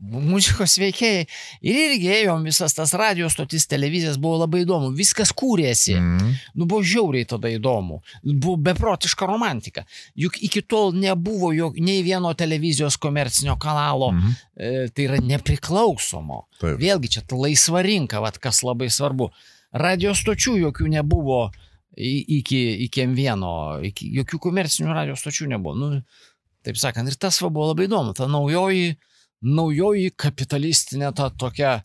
muzikos veikėjai. Ir irgi ėjom visas tas radio stotis, televizijas, buvo labai įdomu. Viskas kūrėsi. Mhm. Nu, buvo žiauriai tada įdomu. Buvo beprotiška romantika. Juk iki tol nebuvo jo, nei vieno televizijos komercinio kanalo, Mhm. e, tai yra nepriklausomo. Taip. Vėlgi čia ta laisva rinka, vat, kas labai svarbu. Radio stočių jokių nebuvo i- iki, iki M vieno, iki, jokių komercinių radio stočių nebuvo. Nu, taip sakant, ir tas va buvo labai įdomu. Ta naujoji, naujoji kapitalistinė ta tokia,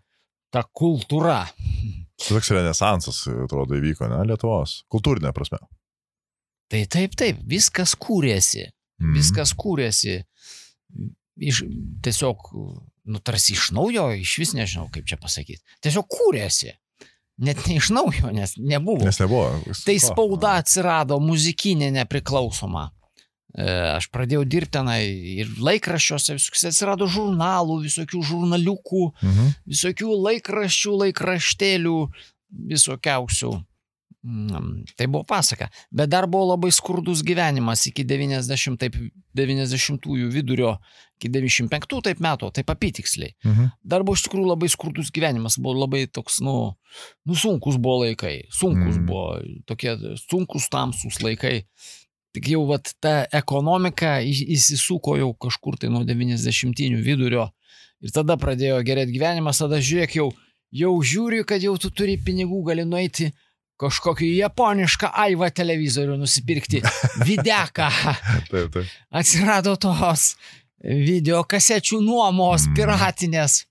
ta kultūra. Tai toks renesansas, atrodo, įvyko, ne, Lietuvos. Kultūrinė prasme. Tai taip, taip, viskas kūrėsi. Mhm. Viskas kūrėsi. Iš, tiesiog, nu, tarsi iš naujo, iš vis nežinau, kaip čia pasakyti. Tiesiog kūrėsi. Net ne iš naujo, nes nebuvo. Nes nebuvo. Tai spauda atsirado muzikinė nepriklausoma. E, Aš pradėjau dirbti tenai ir laikraščiuose, visokiuose atsirado žurnalų, visokių žurnaliukų, Mhm. visokių laikraščių, laikraštėlių, visokiausių. Mm, Tai buvo pasaka. Bet dar buvo labai skurdus gyvenimas iki devyniasdešimt, taip, devyniasdešimtųjų vidurio, iki devyniasdešimt penktų taip metų, taip apytiksliai. Mhm. Dar buvo iš tikrųjų labai skurdus gyvenimas, buvo labai toks, nu, nu sunkus buvo laikai, sunkus Mm. buvo, tokie sunkus tamsus laikai. Tik jau vat, ta ekonomika į- įsisuko jau kažkur tai nuo devyniasdešimtinių vidurio ir tada pradėjo gerėti gyvenimas, tada žiūrėk jau, jau žiūri, kad jau tu turi pinigų, gali nueiti kažkokį japonišką aivą televizorių nusipirkti, videką. Taip, taip. Atsirado tos video kasečių nuomos, Mm. piratinės.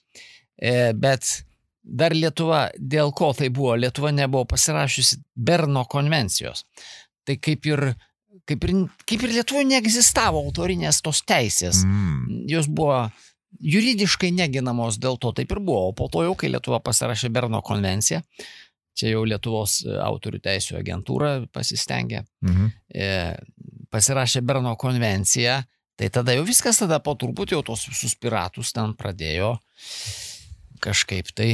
E, bet dar Lietuva, dėl ko tai buvo, Lietuva nebuvo pasirašiusi Berno konvencijos. Tai kaip ir, kaip ir, kaip ir Lietuvoje neegzistavo autorinės tos teisės. Mm. Jos buvo juridiškai neginamos, dėl to taip ir buvo. O po to jau, kai Lietuva pasirašė Berno konvenciją, čia jau Lietuvos autorių teisų agentūra pasistengė, Mhm. e, pasirašė Berno konvenciją, tai tada jau viskas, tada po truputį jau tos visus piratus ten pradėjo kažkaip tai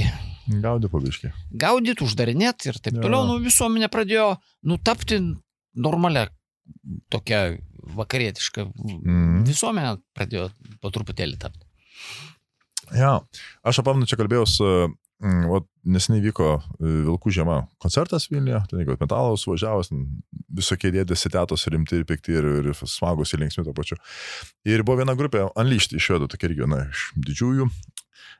Gaudė pabiškį. gaudyti, uždarinėti ir taip Jo. toliau. Nu, visuomenė pradėjo nutapti normalia tokia vakarietiška Mhm. visuomenė pradėjo po truputėlį tapti. Ja, aš apamnu, čia kalbėjau su, mm, vat, neseniai vyko e, Vilkų žiema koncertas Vilniuje, ten jeigu metalas važiavęs, ten visokie dėdėsi tetos rimti ir pikti ir, ir smagus ir linksmi to pačiu. Ir buvo viena grupė Unleashed iš švedų, tokia irgi viena iš didžiųjų.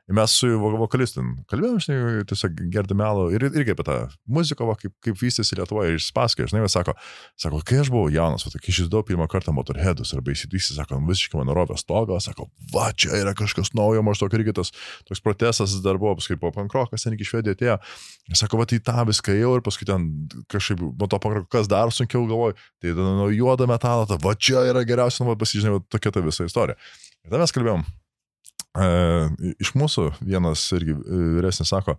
Ir mes su vo- vokalistin kalbėjom, žinai, tiesiog gerdami alų ir irgi apie tą muziką, va, kaip, kaip vystėsi Lietuvoje ir spaskė, žinai, sako, sako, kai aš buvau jaunas, va, kai išdėjau pirmą kartą Motorheadus arba įsidysi, sako, visiškai mano rovė stogą, sako, va, čia yra kažkas naujo, maždaug irgi tas toks protestas dar buvo, paskui po pankrokas ten iki Švedijoje atėjo. Ir sako, va, tai tą viską jau ir paskui ten kažkaip, nuo to pankrokas kas dar sunkiau galvoju, tai tada nuo juodo metalo, ta, va, čia yra geriausia, nu, va, pasižinai, tokia ta visa istorija. Ir tada mes kalbėjom. E, iš mūsų vienas irgi vyresnis sako,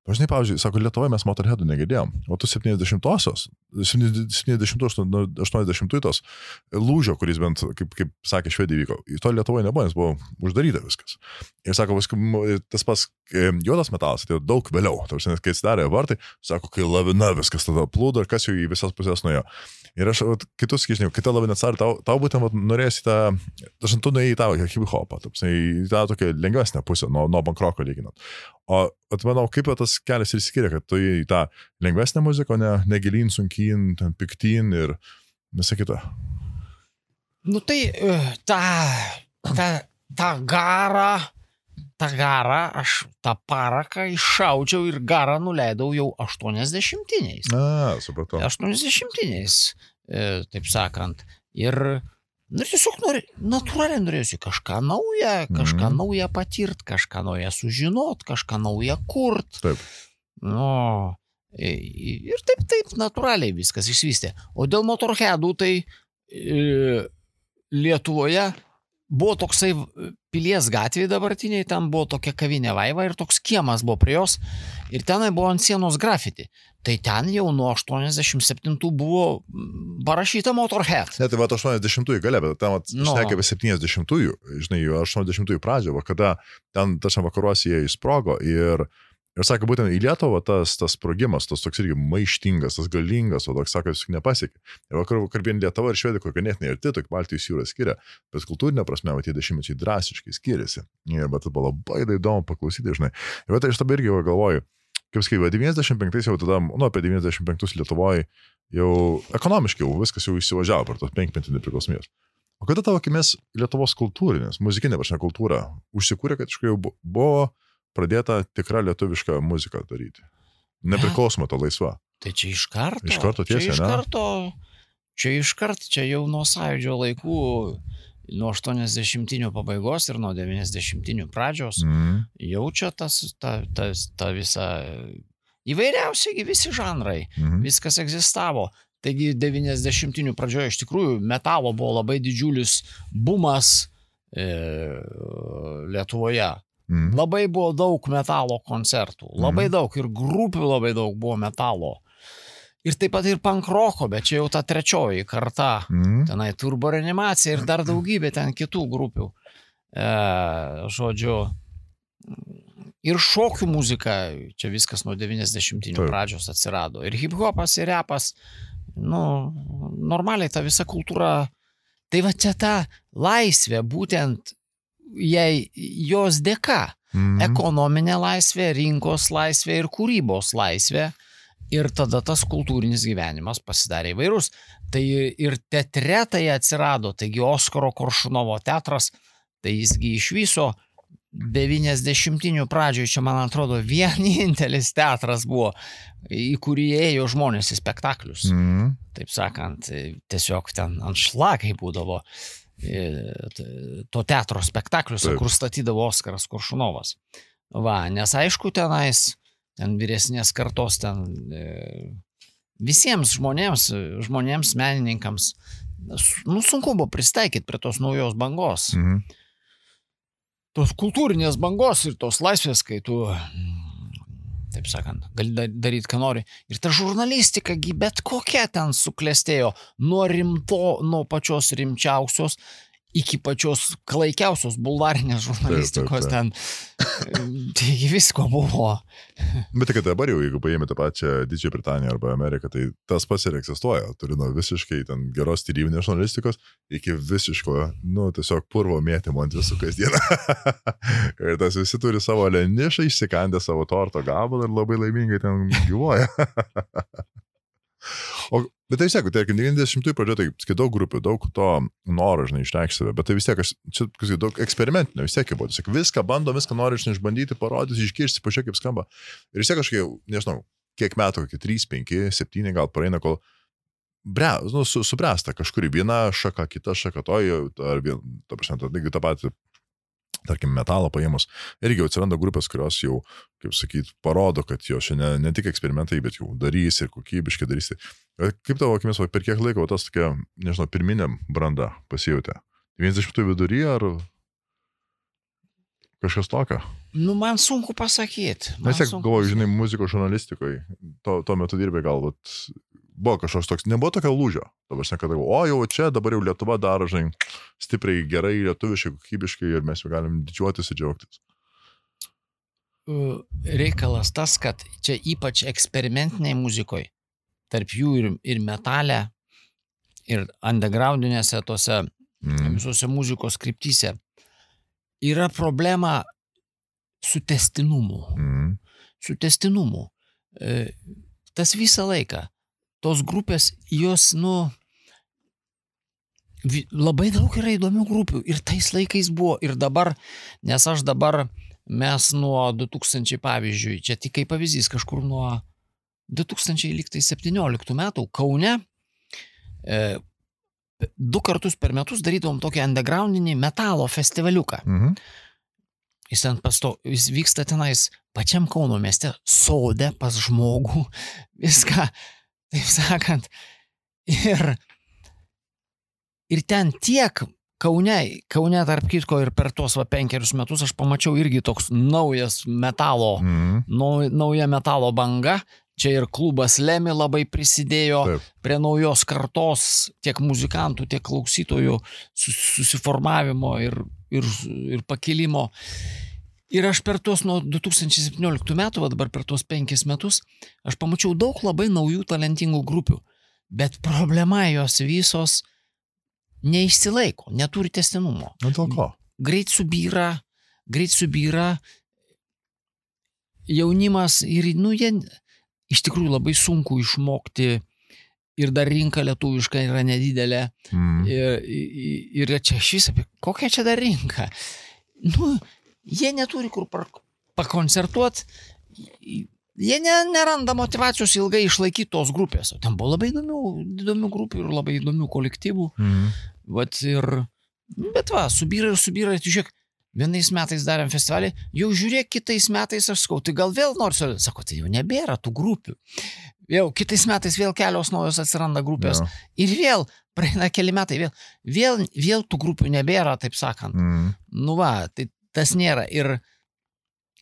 Pažinai, pavyzdžiui, sako, Lietuvoje mes Motorheadų negirdėjom, o tu septyniasdešimtosios, septyniasdešimtų, aštuoniasdešimtų tos lūžio, kuris bent, kaip, kaip sakė, Švedija vyko, į to Lietuvoje nebuvo, nes buvo uždaryta viskas. Ir sako, tas pas juodas metalas atėjo daug vėliau, tarsi, kai atsidarė vartai, sako, kai lavina viskas tada plūdo ir kas jau į visas pusės nuėjo. Ir aš kitus, žinau, kai ta lavina atsidarė, tau, tau būtent norėsi tą, dažnai tu nuėjai į tą hip-hopą, į tą tokią lengvesnę pusę, nuo, nuo bankroko lyginant. O atmanau, kaip tas kelias ir skiria, kad tu į tą lengvesnę muziką, ne, negilin, sunkin, ten piktin ir visą kitą. Nu tai tą, tą, tą garą, tą garą, aš tą paraką iššaudžiau ir garą nuleidau jau aštuoniasdešimtiniais. A, supratau. aštuoniasdešimtiniais, taip sakant. Ir nu, tiesiog nori, natūraliai norėjusi kažką naują, kažką mm. naują patirt, kažką naują sužinot, kažką naują kurt. Taip. Nu, ir taip, taip, natūraliai viskas išsivystė. O dėl Motorheadų, tai e, Lietuvoje buvo toksai Pilies gatvėje dabartiniai, ten buvo tokia kavinė Vaiva ir toks kiemas buvo prie jos ir tenai buvo ant sienos grafiti. Tai ten jau nuo aštuoniasdešimt septintų buvo parašyta Motorhead. Ne, tai va aštuoniasdešimtųjų gale, bet ten no. šnekė apie septyniasdešimtųjų, žinai, aštuoniasdešimtųjų pradžią, va, kada ten tačiam vakaruose jie įsprogo ir Ir sako, būtent į Lietuvą tas, tas sprogimas, tas toks irgi maištingas, tas galingas, o toks, sako, jis nepasiekė. Ir vakar, kalbėjant Lietuvą ir Švedija, kur ganėtinai arti, tokia Baltijos jūra skiria, bet kultūrinė prasme, va, tie dešimtmečiai drastiškai skiriasi. Ir bet tai buvo labai įdomu paklausyti, žinai. Ir bet aš tada irgi galvoju, kaip sakai, devyniasdešimt penktais jau tada, nu, apie devyniasdešimt penktus Lietuvoje jau ekonomiškai jau viskas jau įsivažiavo per tos penkmetį nepriklausomybės. O kada tavo akimis Lietuvos kultūrinės, muzikinė prasme kultūra užsikūrė, kad iš jau buvo pradėta tikra lietuviška muzika daryti. Nepriklausoma to laisva. Tai čia iš karto. Iš karto tiesiai, čia iš ne? Karto, čia iš karto, čia jau nuo Sąjūdžio laikų, nuo aštuoniasdešimtinių pabaigos ir nuo devyniasdešimtinių pradžios, mm. jau čia tas, ta, ta, ta visa, įvairiausiai visi žanrai, mm. viskas egzistavo. Taigi devyniasdešimtinių pradžioje iš tikrųjų metalo buvo labai didžiulis bumas e, Lietuvoje. Mm. Labai buvo daug metalo koncertų, labai mm. daug ir grupių labai daug buvo metalo. Ir taip pat ir pankroko, bet čia jau ta trečioji karta, mm. tenai Turbo Reanimacija ir dar daugybė ten kitų grupių. E, žodžiu, ir šokių muzika, čia viskas nuo devyniasdešimtinių pradžios atsirado. Ir hip-hopas, ir repas, nu, normaliai ta visa kultūra. Tai va čia ta laisvė, būtent jei jos dėka, mm. ekonominė laisvė, rinkos laisvė ir kūrybos laisvė, ir tada tas kultūrinis gyvenimas pasidarė įvairus. Tai ir teatre tai atsirado, taigi Oskaro Koršunovo teatras, tai jisgi iš viso devyniasdešimtinių pradžioje, čia man atrodo vienintelis teatras buvo, į kurį ėjo žmonės į spektaklius. Mm. Taip sakant, tiesiog ten anšlagai būdavo to teatro spektakliuose, kur statydavo Oskaras Koršunovas. Va, nes aišku tenais, ten vyresnės kartos, ten visiems žmonėms, žmonėms, menininkams, nu, sunku buvo pristaikyti prie tos naujos bangos. Mhm. Tos kultūrinės bangos ir tos laisvės, kai tu, taip sakant, gali daryti, ką nori. Ir ta žurnalistika, bet kokia ten suklestėjo, nuo rimto, nuo pačios rimčiausios iki pačios klaikiausios bulvarinės žurnalistikos ten. Taigi visko buvo. Bet tik dabar jau, jeigu paėmė tą pačią Didžiąją Britaniją arba Ameriką, tai tas pats ir egzistuoja. Turi nuo visiškai ten geros tyriminės žurnalistikos iki visiško, nu, tiesiog purvo mėtymo ant visų kasdieną. Ir tas visi turi savo lenišą, išsikandę savo torto gabalą ir labai laimingai ten gyvuoja. O, bet tai vis tiek, tai devyniasdešimtųjų pradžioje, tai daug grupių, daug to noro, žinai, išreikšti save, bet tai vis tiek, aš, čia daug eksperimentinio, vis tiek buvo, tiesiog viską bando, viską nori, žinai, išbandyti, parodyti, išgirsti, pažiūrėk, kaip skamba. Ir vis tiek kažkaip, nežinau, kiek metų, kokie trys, penki, septyni gal praeina, kol bre, nu, su, subręsta kažkuri viena šaka, kita šaka, toji, ar vien, ta prasme, ta, ta pati, tarkim, metalą paėmus, irgi jau atsiranda grupės, kurios jau, kaip sakyt, parodo, kad jo šiandien ne tik eksperimentai, bet jau darys ir kokybiškai darys. Kaip tavo akimis, per kiek laiko tas tokia, nežinau, pirminė branda pasijautė? devyniasdešimtųjų vidury ar kažkas tokio? Nu, man sunku pasakyti. Nes tiek galvoju, žinai, muzikos žurnalistikoje, tuo, tuo metu dirbai galbūt, buvo kažkoks toks, nebuvo tokio lūžio. Dabar žinai, kad, o jau čia, dabar jau Lietuva daro, žinai, stipriai, gerai, lietuviškai, kokybiškai ir mes jau galim didžiuotis ir džiaugtis. Reikalas tas, kad čia ypač eksperimentiniai muzikoje, tarp jų ir, ir metalė, ir undergroundinėse tose mm. visose muzikos kryptyse, yra problema su testinumu. Mm. Su testinumu. E, tas visą laiką. Tos grupės, jos, nu, vi, labai daug yra įdomių grupių. Ir tais laikais buvo. Ir dabar, nes aš dabar, mes nuo du tūkstančiai, pavyzdžiui, čia tik kaip pavyzdys, kažkur nuo du tūkstančiai septynioliktų metų Kaune e, du kartus per metus darydavom tokį undergroundinį metalo festivaliuką. Mhm. Jis, ten pasto, jis vyksta tenais pačiam Kauno mieste, sode pas žmogų, viską, taip sakant. Ir, ir ten tiek Kaune, Kaune tarp kitko ir per tuos va penkerius metus aš pamačiau irgi toks naujas metalo, mm. nau, nauja metalo banga. Čia ir klubas Lemi labai prisidėjo Taip. Prie naujos kartos tiek muzikantų, tiek klausytojų susiformavimo ir, ir, ir pakilimo. Ir aš per tuos nuo du tūkstančiai septynioliktų metų, va dabar per tuos penkis metus, aš pamačiau daug labai naujų talentingų grupių. Bet problema jos visos neišsilaiko, neturi tęstinumo. Dėl ko? Greit subyra, greit subyra jaunimas ir, nu, jie... Iš tikrųjų labai sunku išmokti ir dar rinka lietuviška yra nedidelė. Mm. Ir, ir čia šis apie kokią čia dar rinką. Nu, jie neturi kur pakoncertuoti, jie ne, neranda motivacijos ilgai išlaikyti tos grupės. O ten buvo labai įdomių, įdomių grupių ir labai įdomių kolektyvų. Mm. Vat ir, bet va, subyra ir subyra, tai žiūrėk, vienais metais darėm festivalį, jau žiūrėk, kitais metais aš sakau, tai gal vėl nors, sako, tai jau nebėra tų grupių. Jau kitais metais vėl kelios naujos atsiranda grupės. Ja. Ir vėl, praeina keli metai, vėl, vėl, vėl tų grupių nebėra, taip sakant. Mm. Nu va, tai tas nėra. Ir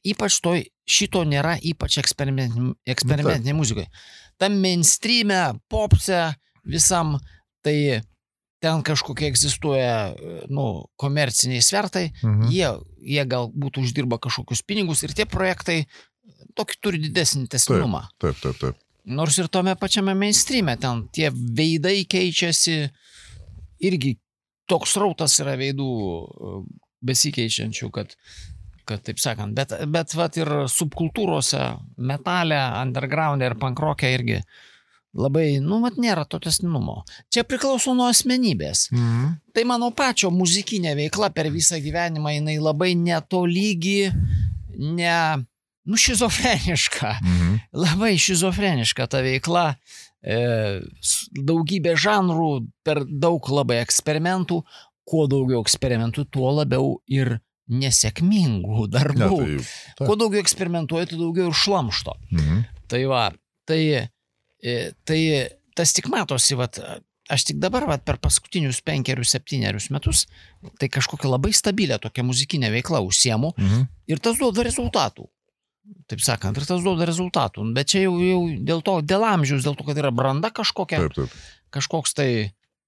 ypač to, šito nėra, ypač eksperimentinė muzikoje. Tam mainstreame, popse, visam, tai... ten kažkokie egzistuoja, nu, komerciniai svertai, mhm. jie, jie galbūt uždirba kažkokius pinigus ir tie projektai tokį turi didesnį tęstinumą. Taip, taip, taip. Nors ir tome pačiame mainstreame ten tie veidai keičiasi, irgi toks rautas yra veidų besikeičiančių, kad, kad taip sakant, bet, bet vat ir subkultūrose, metale, underground ir pankrokė irgi labai, nu, mat nėra to tęstinumo. Čia priklauso nuo asmenybės. Mhm. Tai mano pačio muzikinė veikla per visą gyvenimą, jinai labai netolygi, ne, nu, šizofreniška. Mhm. Labai šizofreniška ta veikla. E, daugybė žanrų, per daug labai eksperimentų. Kuo daugiau eksperimentų, tuo labiau ir nesėkmingų darbų. Ne, tai, tai. Kuo daugiau eksperimentuoja, tai daugiau ir šlamšto. Mhm. Tai va, tai... Tai tas tik matosi, vat, aš tik dabar vat, per paskutinius penkerius, septynerius metus, tai kažkokia labai stabilę tokia muzikinė veikla užsiemu mhm. ir tas duoda rezultatų. Taip sakant, ir tas duoda rezultatų. Bet čia jau, jau dėl to, dėl amžiaus, dėl to, kad yra branda kažkokia, taip, taip. Kažkoks tai,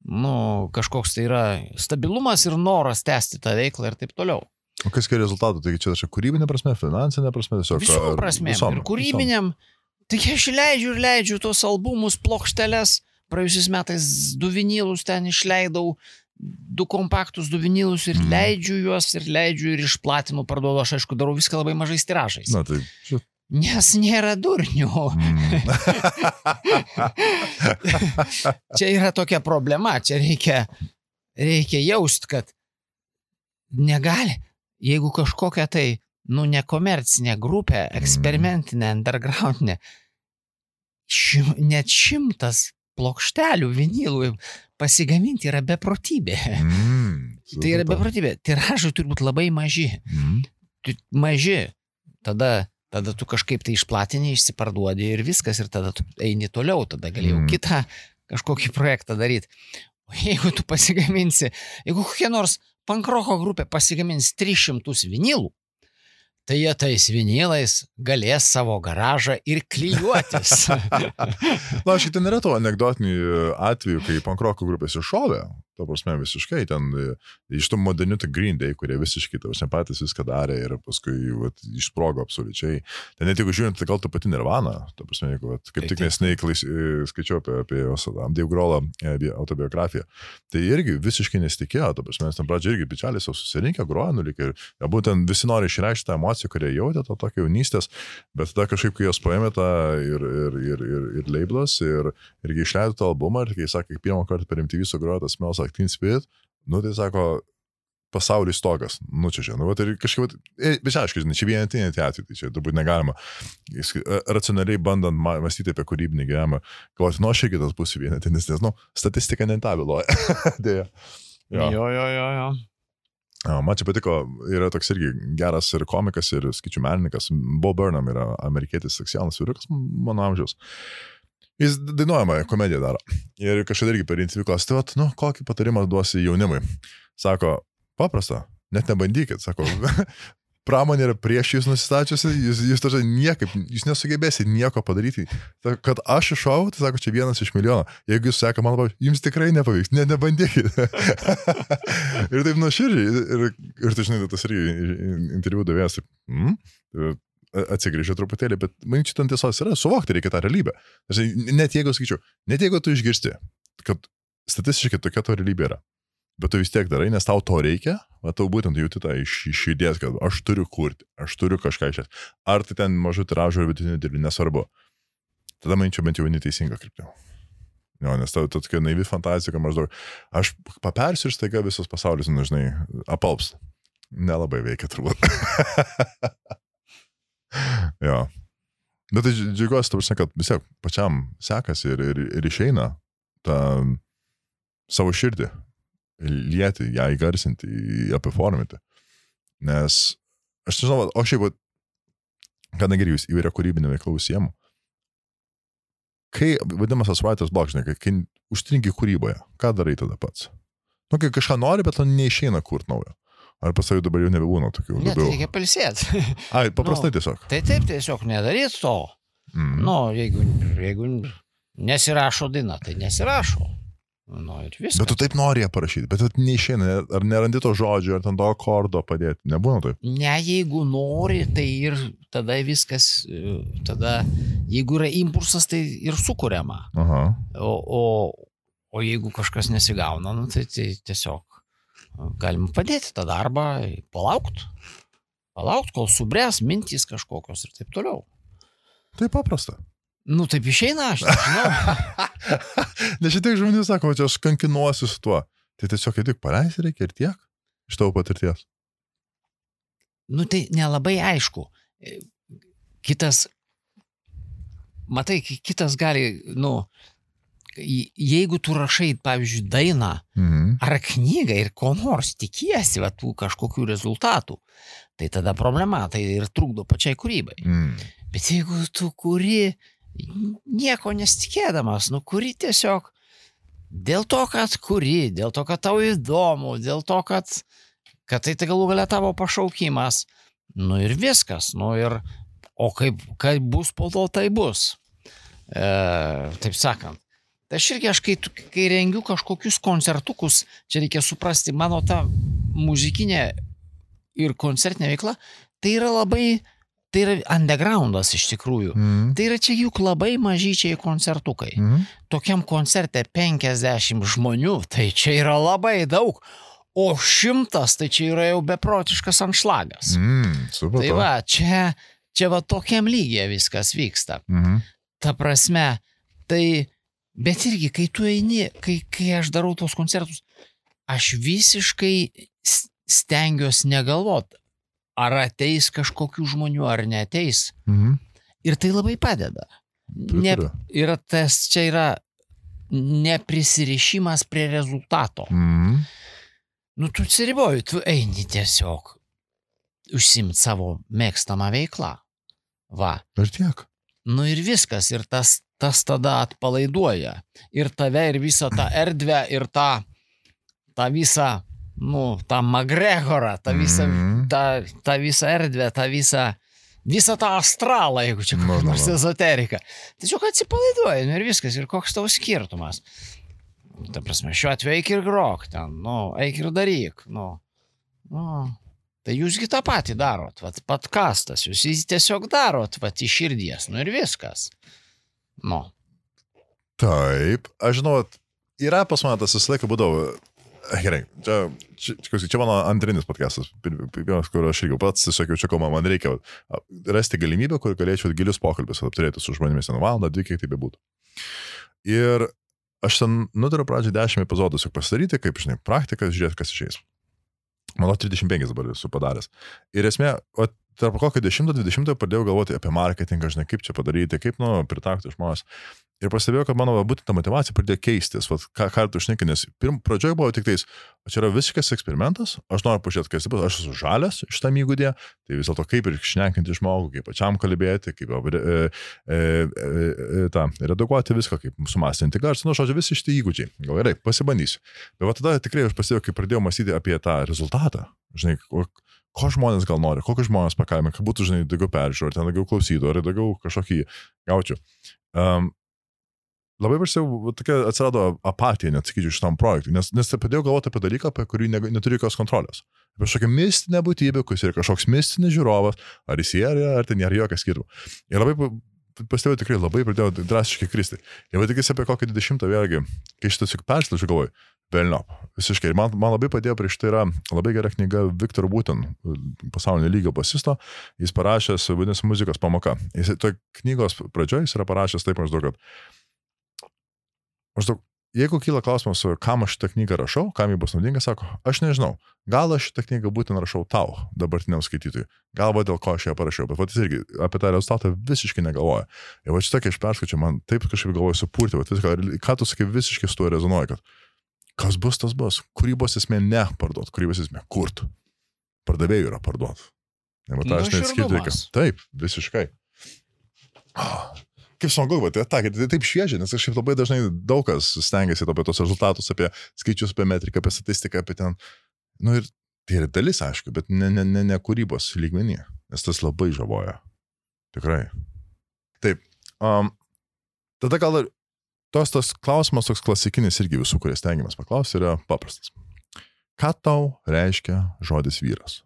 nu, kažkoks tai yra stabilumas ir noras tęsti tą veiklą ir taip toliau. O kas kai rezultatų? Tai čia čia kūrybinė prasme, finansinė prasme? Tiesiog, visom prasme. Ir kūrybiniam. Visom. Tai aš leidžiu ir leidžiu tos albumus, plokšteles, praėjusiais metais du vinilus ten išleidau, du kompaktus, du vinilus ir mm. leidžiu juos ir leidžiu ir išplatinu, parduodu, aš aišku darau viską labai mažais tiražais. Na tai. Nes nėra durnių. Mm. Čia yra tokia problema, čia reikia, reikia jaust, kad negali, jeigu kažkokia tai nu, nekomercinė grupė, eksperimentinė, undergroundinė, šim, net šimtas plokštelių, vinilų pasigaminti yra beprotybė. Mm, tai yra beprotybė. Tiražai turi būti labai maži. Mm. Maži. Tada, tada tu kažkaip tai išplatinį, išsiparduodi ir viskas, ir tada tu eini toliau, tada galėjau mm. kitą kažkokį projektą daryti. O jeigu tu pasigaminsi, jeigu kokia nors pankroko grupė pasigamins tris šimtus vinilų, tai jie tais vinilais galės savo garažą ir klijuotis. Na, šitai nėra to anegdotinių atvejų, kai pankroko grupės iššovė. Ta prasme, visiškai ten iš tų modernių tai Green Day, kurie visiškai, ta prasme, patys viską darė ir paskui vat, išsprogo absoliučiai. Ten net jeigu žiūrint, tai gal ta pati Nirvana, ta prasme, jeigu, vat, kaip tik nesnei skaičiau apie, apie jos Dave Grohl'o autobiografiją, tai irgi visiškai nesitikėjo, ta prasme, nes ten pradžio irgi bičialis jau susirinkę, grojo, nulikė ir ja, būtent visi nori išreikšti tą emociją, kurie jautė to tokio jaunystės, bet tada kažkaip, kai jos paėmė tą ir, ir, ir, ir, ir labels, ir, irgi išleido tą albumą, ir kai sakė, pirmą kartą per M T V sugrojo tas Smells Like Teen Spirit, nu tai sako, pasaulis stogas, nu čia čia, nu tai kažkaip, bet aišku, žinai, čia vienetinė tie atvejai, tai čia turbūt negalima, racionaliai bandant mąstyti apie kūrybinį gyvenimą, galvoti, nu aš irgi tas būsiu vienetinis, nes, nu, statistika nentabiloja. Dėja. Jo, jo, jo, jo. jo. Man čia patiko, yra toks irgi geras ir komikas, ir skaičių menininkas, Bo Burnham yra amerikietis seksualas vyrukas, mano amžiaus. Jis dainuojama komediją daro. Ir kažkada irgi per interviu klausia, tai vat, nu, kokį patarimą duosi jaunimui? Sako, paprasta, net nebandykit, sako, pramonė yra prieš jūs nusistačiusi, jūs, jūs, jūs, niekaip, jūs nesugebėsite nieko padaryti. Sako, kad aš iššau, tai sako, čia vienas iš milijono. Jeigu jūs sako, man pavyks, jums tikrai nepavyks, net nebandykit. Ir taip nuoširdžiai, ir, ir tai žinai, tas irgi interviu davėjas, taip, mm? atsigrįžė truputėlį, bet man čia ten tiesos yra, suvokti reikia tą realybę. Net jeigu, sakyčiau, net jeigu tu išgirsti, kad statistiškai tokia to realybė yra, bet tu vis tiek darai, nes tau to reikia, va tau būtent jauti tą iš, iš idėjas, kad aš turiu kurti, aš turiu kažką išės. Ar tai ten mažų tiražų ir vidutinių dirbį, nesvarbu. Tada man čia bent jau neteisinga kryptė. Jo, nes tau tokia naivi fantazija, kad maždaug aš papersiu ir staiga visas pasaulis, nežinai, apalps. Nelabai veikia turbūt. Jo. Bet tai džiaugiuosi, ta prasme, kad vis tiek pačiam sekasi ir, ir, ir išeina tą savo širdį, lieti, ją įgarsinti, ją performinti. Nes, aš nežinau, o šiaip, kadangi jūs įvairia kūrybinė veikla užsiemu, kai vadinamas tas writer's block, žinai, kai užtrinki kūryboje, ką darai tada pats? Nu, kai kažką nori, bet to neišeina kurt naujo. Ar pasavai dabar jau nebebūna tokių? Ne, tai reikia pailsėti. Ai, paprastai nu, tiesiog. Tai taip, tiesiog nedaryt to. Mm. Nu, jeigu, jeigu nesirašo daina, tai nesirašo. Nu, ir viskas. Bet tu taip nori ją parašyti, bet tu neišeina, ar nerandi to žodžio, ar ten to akordo padėti, nebūna taip? Ne, jeigu nori, tai ir tada viskas, tada, jeigu yra impulsas, tai ir sukuriama. Aha. O, o, o jeigu kažkas nesigauna, nu, tai, tai tiesiog galim padėti tą darbą, palaukt, palaukt, kol subręs mintys kažkokios ir taip toliau. Tai paprasta. Nu, taip išeina, aš nežinau. Nes šitiek žmonių sako, čia aš kankinuosiu su tuo. Tai tiesiog tik paleisi reikia ir tiek iš tavo patirties. Nu, tai nelabai aišku. Kitas, matai, kitas gali, nu, jeigu tu rašai, pavyzdžiui, dainą mhm. ar knygą ir ko nors tikiesi, va, tų kažkokių rezultatų, tai tada problema, tai ir trukdo pačiai kūrybai. Mm. Bet jeigu tu kuri nieko nesitikėdamas, nu kuri tiesiog dėl to, kad kuri, dėl to, kad tau įdomu, dėl to, kad, kad tai tai galų galia tavo pašaukimas, nu ir viskas, nu ir, o kaip, kaip bus po to, tai bus. E, taip sakant. Tai aš irgi, aš kai, kai rengiu kažkokius koncertukus, čia reikia suprasti, mano ta muzikinė ir koncertinė veikla, tai yra labai, tai yra undergroundas iš tikrųjų. Mm. Tai yra čia juk labai mažyčiai koncertukai. Mm. Tokiam koncerte penkiasdešimt žmonių, tai čia yra labai daug, o šimtas, tai čia yra jau beprotiškas anšlagas. Mm, super. Tai va, čia, čia va tokiam lygiai viskas vyksta. Mm. Ta prasme, tai bet irgi, kai tu eini, kai, kai aš darau tos koncertus, aš visiškai stengiuosi negalvot, ar ateis kažkokių žmonių, ar neateis. Mhm. Ir tai labai padeda. Ne, yra tas, čia yra neprisirišimas prie rezultato. Mhm. Nu, tu atsiriboji, tu eini tiesiog užsiimt savo mėgstamą veiklą. Va. Ir tiek. Nu ir viskas, ir tas, tas tada atpalaiduoja. Ir tave, ir visą tą erdvę, ir tą, tą visą nu, tą McGregorą, tą visą, Mhm. tą, tą visą erdvę, tą visą, visą tą astralą, jeigu čia Nu, kokia nu, nors nu. ezoterika. Tiesiog atsipalaiduoji, nu ir viskas, ir koks tavo skirtumas. Ta prasme, šiuo atveju eik ir grok ten, nu, eik ir daryk, nu, nu. Tai jūsgi tą patį darot, vat, podkastas, jūs jį tiesiog darot, vat, iš širdies, nu ir viskas. Nu. Taip, aš žinau, yra pas mane tas visą laiką būdavo, gerai, čia, čia, čia mano antrinis podcastas, pirmas, kur aš irgi pats tiesiog jau čia kalbama, man reikia rasti galimybę, kur galėčiau gilius pokalbis apturėti su žmonėmis ten valandą, dvi, kiek tai bebūtų. Ir aš ten nutariu pradžią dešimt epizodų tiesiog pasidaryti, kaip, žinai, praktikas, žiūrėti, kas išeis. Manau, trisdešimt penki dabar esu padaręs. Ir esmė, o tarp kokio dešimto dvidešimto pradėjau galvoti apie marketingą, žinai, kaip čia padaryti, kaip, nu, pritraukti žmonės. Ir pastebėjau, kad mano būtent ta motyvacija pradėjo keistis. Vat, ką, ką tu šneki, nes pirm, pradžioje buvo tik tais, o čia yra visiškas eksperimentas, aš noriu pažiūrėti, kas tai bus, aš esu žalias šitam įgūdė, tai vis dėlto kaip ir šnekinti žmogų, kaip pačiam kalbėti, kaip e, e, e, ta, redaguoti viską, kaip sumastinti garsą, nu, žodžiu, visi šitie įgūdžiai. Gal gerai, pasibandysiu. Bet va tada tikrai aš pastebėjau, kai pradėjau mąstyti apie tą rezultatą, žinai, ko, ko žmonės gal nori, kokius žmonės pakalbė, kad būtų, žinai, daugiau peržiūrų, ten daugiau klausytų, ar daugiau kažkokį gaučiau. Um, Labai prasidėjau, tokia atsirado apatija, net sakyčiau, šitam projektui, nes, nes pradėjau galvoti apie dalyką, apie kurį ne, neturi jokios kontrolės. Apie kažkokią mistinę būtybę, kuris yra kažkoks mistinis žiūrovas, ar jis yra, ar ten nėra jokio skirtumo. Ir labai pastebėjau, tikrai labai pradėjau drastiškai kristi. Ir va tikisi apie kokį dvidešimtą vėlgi, kai šitas juk persilaičiu, galvoju, velniop, visiškai. Ir man, man labai padėjo prieš tai yra labai gera knyga Victor Wooten, pasaulinio lygio basisto, jis parašęs, vadinasi, muzikos pamoka. Jis toj knygos pradžioje jis yra parašęs taip maždaug, kad Maždaug, jeigu kyla klausimas, kam aš šitą knygą rašau, kam jį bus naudinga, sako, aš nežinau, gal aš šitą knygą būtent rašau tau, dabartiniam skaitytojui, gal va dėl ko aš ją parašiau, bet va jis irgi apie tą rezultatą visiškai negalvoja. Ir va šitą, kai aš perskaičiu, man taip kažkaip galvoju supurti, va viską, ką tu sakai, visiškai su tuo rezonuoji, kad kas bus, tas bus, kūrybos esmė ne parduot, kūrybos esmė kurt, pardavėjų yra parduot. Ir va tą aš neatskirti reikia. Taip, visiškai. Kaip smagu, bet tai, tai taip šviežia, nes kažkaip labai dažnai daug kas stengiasi apie tos rezultatus, apie skaičius, apie metriką, apie statistiką, apie ten. Nu ir tai yra dalis, aišku, bet ne, ne, ne, ne kūrybos lygmenyje, nes tas labai žavoja. Tikrai. Taip. Um, tada gal ir tos tas klausimas toks klasikinis irgi visų, kurie stengiamas paklausti, yra paprastas. Ką tau reiškia žodis vyras?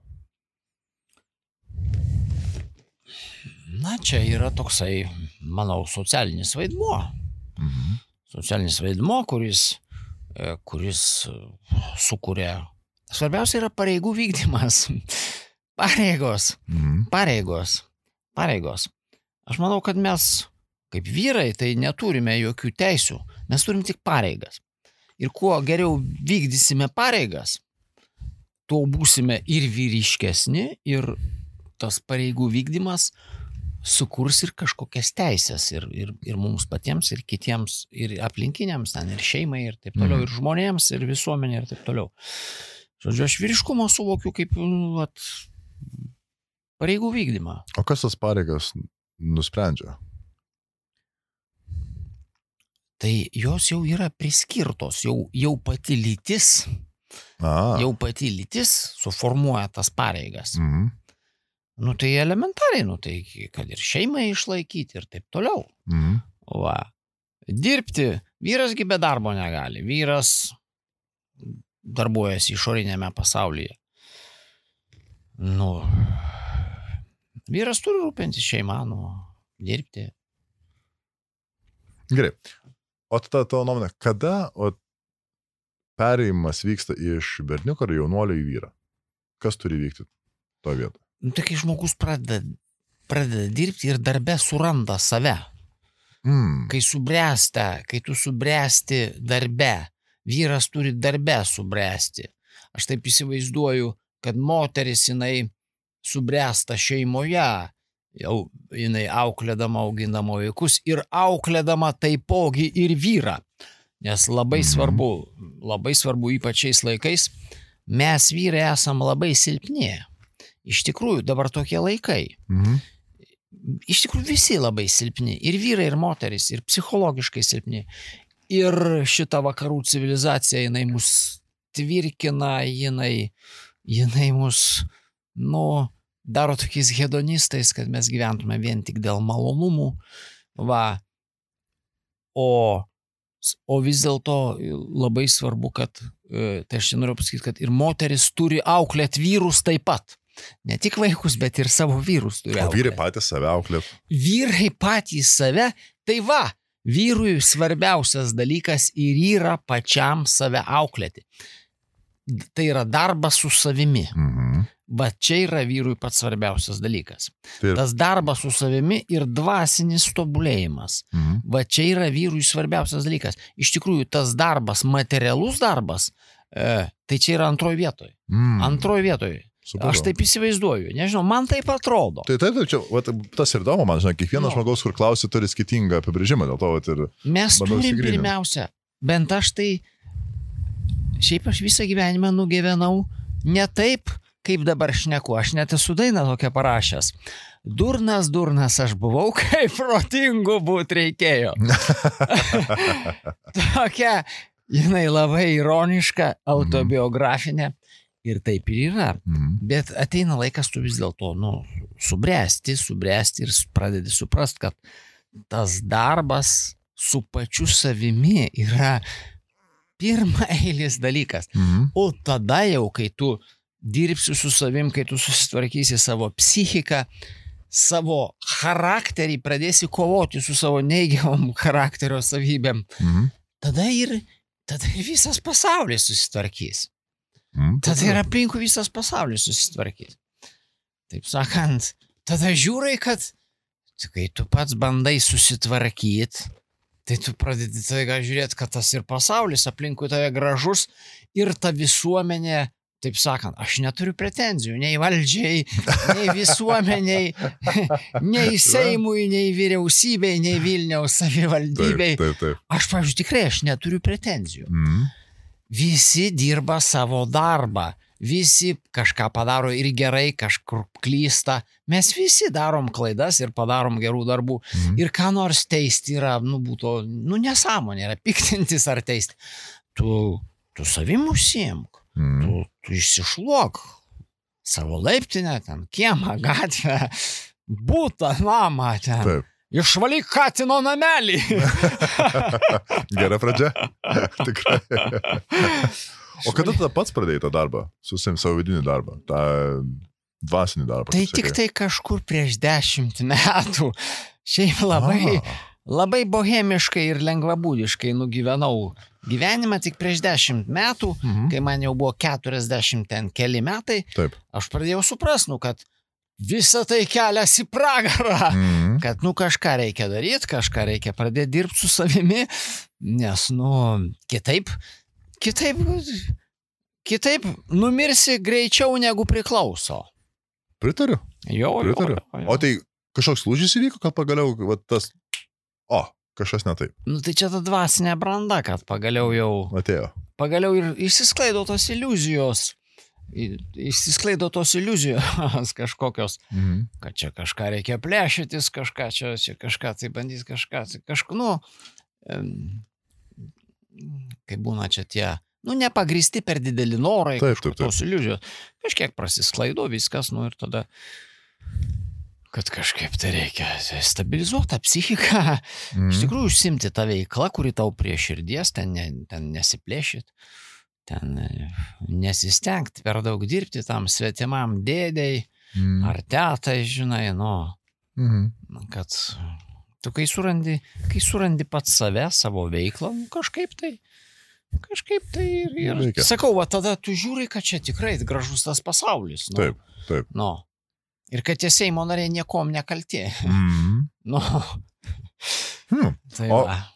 Na, čia yra toksai, manau, socialinis vaidmuo. Mhm. Socialinis vaidmuo, kuris, kuris sukuria. Svarbiausia yra pareigų vykdymas. Pareigos. Mhm. Pareigos. Pareigos. Aš manau, kad mes, kaip vyrai, tai neturime jokių teisių. Mes turim tik pareigas. Ir kuo geriau vykdysime pareigas, tuo būsime ir vyriškesni, ir tas pareigų vykdymas sukurs ir kažkokias teisės ir, ir, ir mums patiems, ir kitiems, ir aplinkiniams, ten, ir šeimai, ir taip toliau, Mhm. ir žmonėms, ir visuomenė, ir taip toliau. Žodžiu, aš vyriškumą suvokiu kaip nu, vat, pareigų vykdymą. O kas tas pareigas nusprendžia? Tai jos jau yra priskirtos, jau, jau pati lytis, A. jau pati lytis suformuoja tas pareigas. Mhm. Nu tai elementariai, nu tai kad ir šeimai išlaikyti ir taip toliau. Mhm. Va. Dirbti, vyrasgi be darbo negali, vyras darbuojasi išorinėme pasaulyje. Nu, vyras turi rūpintis šeimą, nu, dirbti. Gerai. O tada tavo nuomonė, kada o, perėjimas vyksta iš berniuko ar jaunuolio į vyrą? Kas turi vykti to vietą? Nu, tai kai žmogus pradeda, pradeda dirbti ir darbe suranda save. Mm. Kai subręsta, kai tu subręsti darbe, vyras turi darbe subręsti. Aš taip įsivaizduoju, kad moteris jinai subręsta šeimoje, jau jinai auklėdama, augindama vaikus ir auklėdama taipogi ir vyrą. Nes labai Mhm. svarbu, labai svarbu ypač šiais laikais, mes vyrai esam labai silpni. Iš tikrųjų, dabar tokie laikai. Mhm. Iš tikrųjų, visi labai silpni. Ir vyrai, ir moteris, ir psichologiškai silpni. Ir šita vakarų civilizacija, jinai mus tvirkina, jinai, jinai mus, nu, daro tokiais hedonistais, kad mes gyventume vien tik dėl malonumų. Va. O, o vis dėlto labai svarbu, kad, tai aš noriu pasakyti, kad ir moteris turi auklėti vyrus taip pat. Ne tik vaikus, bet ir savo vyrus turi auklėti. O vyrai patys save auklėt. Vyrai patys save, tai va, vyrui svarbiausias dalykas ir yra pačiam save auklėti. Tai yra darbas su savimi. Mhm. Va čia yra vyrui pats svarbiausias dalykas. Tai... Tas darbas su savimi ir dvasinis tobulėjimas. Mhm. Va čia yra vyrui svarbiausias dalykas. Iš tikrųjų, tas darbas, materialus darbas, e, tai čia yra antroji vietoje. Mhm. Antroji vietoje. Supratau. Aš taip įsivaizduoju, nežinau, man taip atrodo. Tai taip, tai čia, va, tas ir įdomu, man žinai, kiekvienas No. žmogaus, kur klausi, turi skirtingą apibrėžimą, dėl to vat, ir... Mes bandau turim išsigrynint. pirmiausia, bent aš tai, šiaip aš visą gyvenimą nugyvenau ne taip, kaip dabar šneku, aš net esu dainą tokią parašęs. Durnas, durnas aš buvau, kaip protingų būt reikėjo. Tokia, jinai labai ironiška, autobiografinė. Ir taip ir yra. Mhm. Bet ateina laikas tu vis dėlto, nu, subręsti, subręsti ir pradedi suprast, kad tas darbas su pačiu savimi yra pirma eilis dalykas. Mhm. O tada jau, kai tu dirbsi su savim, kai tu susitvarkysi savo psichiką, savo charakterį, pradėsi kovoti su savo neigiamom charakterio savybėm, Mhm. tada ir, tada ir visas pasaulis susitvarkys. Mhm. Tada ir aplinkų visas pasaulis susitvarkys. Taip sakant, tada žiūrai, kad kai tu pats bandai susitvarkyti, tai tu pradedi taiga žiūrėti, kad tas ir pasaulis aplinkui tave gražus ir ta visuomenė, taip sakant, aš neturiu pretenzijų nei valdžiai, nei visuomeniai, nei Seimui, nei vyriausybei, nei Vilniaus savivaldybei. Taip, taip, taip. Aš, pavyzdžiui, tikrai aš neturiu pretenzijų. Mhm. Visi dirba savo darbą, visi kažką padaro ir gerai, kažkur klysta. Mes visi darom klaidas ir padarom gerų darbų. Mhm. Ir ką nors teisti yra, nu, būtų, nu, nesąmonė, yra piktintis ar teisti. Tu, tu savim užsiimk, Mhm. tu, tu išsišluok savo laiptinę, ten kiemą, gatvę, butą, namą ten. Taip. Išvalyk katino namelį. Gera pradžia. Tikrai. O kada tada pats pradėjai tą darbą? Susim savo vidinį darbą, tą dvasinį darbą. Tai kaip tik sakai? tai kažkur prieš dešimt metų. Šiaip labai, A. labai bohemiškai ir lengvabūdiškai nugyvenau gyvenimą tik prieš dešimt metų, Mhm. kai man jau buvo keturiasdešimt ten keli metai, Taip. aš pradėjau suprast, nu, kad visa tai kelias į pragarą. Mhm. Kad, nu, kažką reikia daryti, kažką reikia pradėti dirbti su savimi, nes, nu, kitaip, kitaip, kitaip numirsi greičiau negu priklauso. Pritariu. Jo, jo, Pritariu. jo, jo. O tai kažkoks lūžis įvyko, kad pagaliau va, tas... O, kažkas ne taip. Nu, tai čia ta dvasinė branda, kad pagaliau jau, Atėjo. pagaliau ir išsisklaido tos iliuzijos. I- Išsisklaido tos iliuzijos kažkokios, Mhm. kad čia kažką reikia plėšytis, kažką čia, čia kažką tai bandys, kažką tai kažką, nu, em, kai būna čia tie, nu, nepagristi per dideli norai, Taip, kažkur taip, taip. tos iliuzijos, kažkiek prasisklaido viskas, nu ir tada, kad kažkaip tai reikia stabilizuoti tą psichiką, Mhm. iš tikrųjų užsimti tą veiklą, kuri tau prie širdies, ten, ne, ten nesiplėšyt, ten e, nesistengti per daug dirbti tam svetimam dėdei Mhm. ar tetai, žinai, nu, Mhm. kad tu kai surandi, kai surandi pats save, savo veiklą, nu, kažkaip tai, kažkaip tai ir, ir Reikia. sakau, va tada tu žiūri, kad čia tikrai gražus tas pasaulis. Nu, Taip, taip. Nu, ir kad tie Seimo nariai niekom nekalti. Mhm. Nu, Hmm. tai O- va,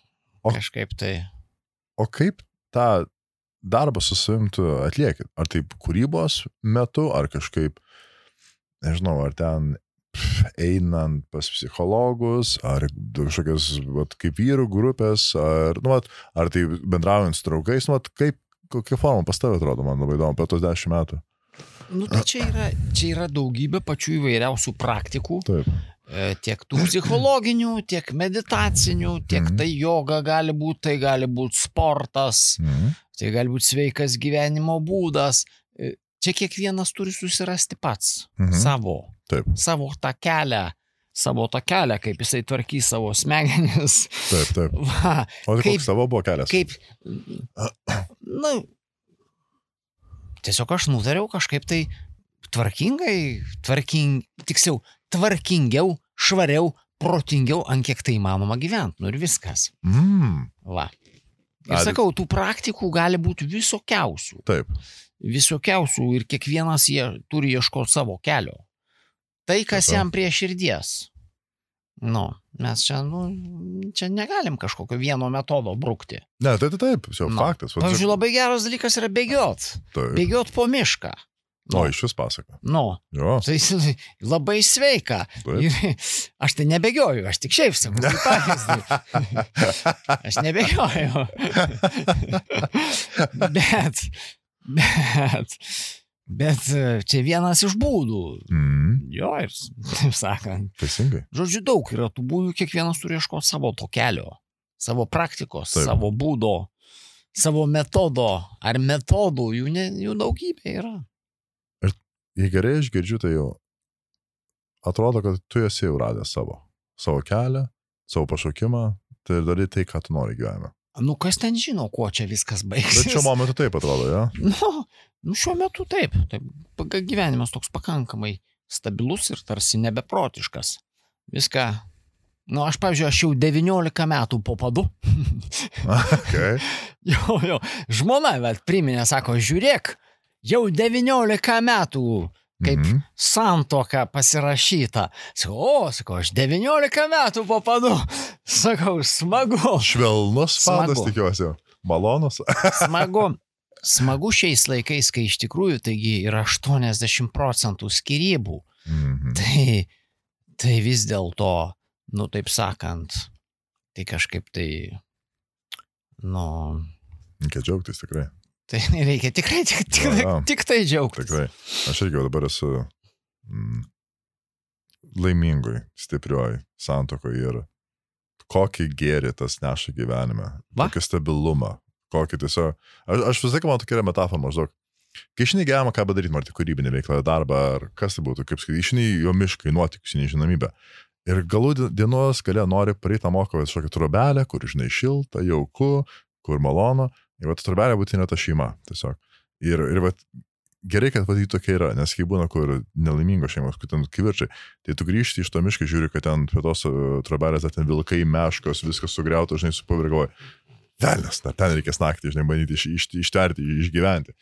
o- kažkaip tai. O kaip tą darbą su savim tu atlieki? Ar taip kūrybos metu, ar kažkaip, nežinau, ar ten pff, einant pas psichologus, ar kažkokios, vat, kaip vyrų grupės, ar, nu, vat, ar tai bendraujant su draugais, nu, vat, kaip, kokia forma pas tave atrodo, man labai įdomu, per tos dešimt metų. Nu, tai čia yra, čia yra daugybė pačių įvairiausių praktikų, Taip. e, tiek tų psichologinių, tiek meditacinių, tiek Mhm. tai joga gali būti, tai gali būti sportas, Mhm. tai gali būti sveikas gyvenimo būdas. Čia kiekvienas turi susirasti pats mhm. savo, Taip. savo tą kelią, savo tą kelią, kaip jisai tvarkys savo smegenis. Taip, taip. Va, o tai kaip, koks savo buvo kelias? Kaip, na, tiesiog aš nutariau kažkaip tai tvarkingai, tvarking, tiksliau, tvarkingiau, švariau, protingiau, ant kiek tai įmanoma gyventi. Nu ir viskas. Mm. Va. Ir sakau, tų praktikų gali būti visokiausių. Taip. Visokiausių ir kiekvienas jie turi ieškoti savo kelio. Tai, kas Taip. Jam prie širdies. Nu, mes čia, nu, čia negalim kažkokio vieno metodo brukti. Ne, tai tai taip, jau nu. Faktas. Pavyzdžiui, labai geras dalykas yra bėgiot. Taip. Bėgiot po mišką. Nu, o, iš vis pasaka. Nu, jo. Tai labai sveika. Ir aš tai nebėgioju, aš tik šiaip sakau, tai pavyzdį. Aš nebėgioju. bet, bet, bet čia vienas iš būdų. Mm. Jo, ir taip sakant. Teisingai. Žodžiu, daug yra tų būdų, kiekvienas turi ieškoti savo to kelio, savo praktikos, taip. Savo būdo, savo metodo ar metodų, jų, ne, jų daugybė yra. Jei gerai aš girdžiu, tai jau atrodo, kad tu esi jau radęs savo, savo kelią, savo pašaukimą, tai ir darai tai, ką tu nori gyvenime. Nu, kas ten žino, kuo čia viskas baigsis. Bet šiuo momentu taip atrodo, ja? Nu, nu šiuo metu taip. taip. Gyvenimas toks pakankamai stabilus ir tarsi nebeprotiškas. Viską, nu, aš, pavyzdžiui, aš jau devyniolika metų po padu. Okay. jo, jo, žmona, bet priminė, sako, žiūrėk, jau devyniolika metų, kaip mm-hmm. santuoka pasirašyta. Sakau, o, sakau, aš devyniolika metų po padu. Sakau, smagu. Švelnus padas, tikiuosi. Malonus. Smagu. Smagu šiais laikais, kai iš tikrųjų taigi yra aštuoniasdešimt procentų skyrybų. Mm-hmm. Tai, tai vis dėlto, nu taip sakant, tai kažkaip tai, nu... Reikia džiaugtis tikrai. Tai reikia tikrai tik, tik, ja, ja. tik tai džiaugtis. Tikrai. Aš irgi dabar esu mm, laimingoj, stiprioj santuokoj ir kokį gėrį tas neša gyvenime. Va? Kokį stabilumą. Kokį tiesiog... Aš, aš visai, man tokia yra metafora maždaug. Kai išnai gyvenimą, ką bedaryti, ar tai kūrybinė veikla, darbą, ar kas tai būtų, kaip sakyti, išnai jo miškai, nuotikus, nežinomybę. Ir galų dienos galia nori pareitą moką kažkokią trobelę, kur, žinai, šilta, jauku, kur malonu. Ir va, trobelė būtinė ta šeima, tiesiog. Ir, ir va, gerai, kad va, tokia yra, nes kai būna, kur nelaimingos šeimos, kur ten kivirčiai, tai tu grįžti iš to mišką, žiūri, kad ten prie tos trobelės, ten vilkai, meškos, viskas sugriauta, žinai, su pavirgavoju. Velnes, ten reikės naktį, žinai, bandyti iš, iš, ištverti, išgyventi.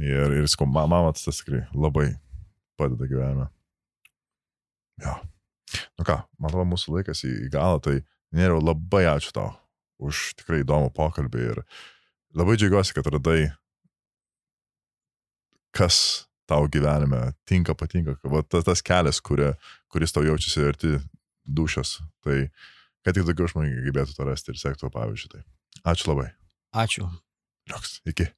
Ir, ir sakau, mama, tas tikrai labai padeda gyvenime. Jo. Nu ką, man atrodo, mūsų laikas į, į galą, tai nėra labai ačiū tau už tikrai įdomų pokalbį ir labai džiaugiuosi, kad radai, kas tau gyvenime tinka, patinka, va, tas, tas kelias, kuria, kuris tau jaučiasi arti dušios. Tai kad tik daugiau žmonių gebėtų to rasti ir sektų pavyzdžiui. Tai ačiū labai. Ačiū. Liuks, iki.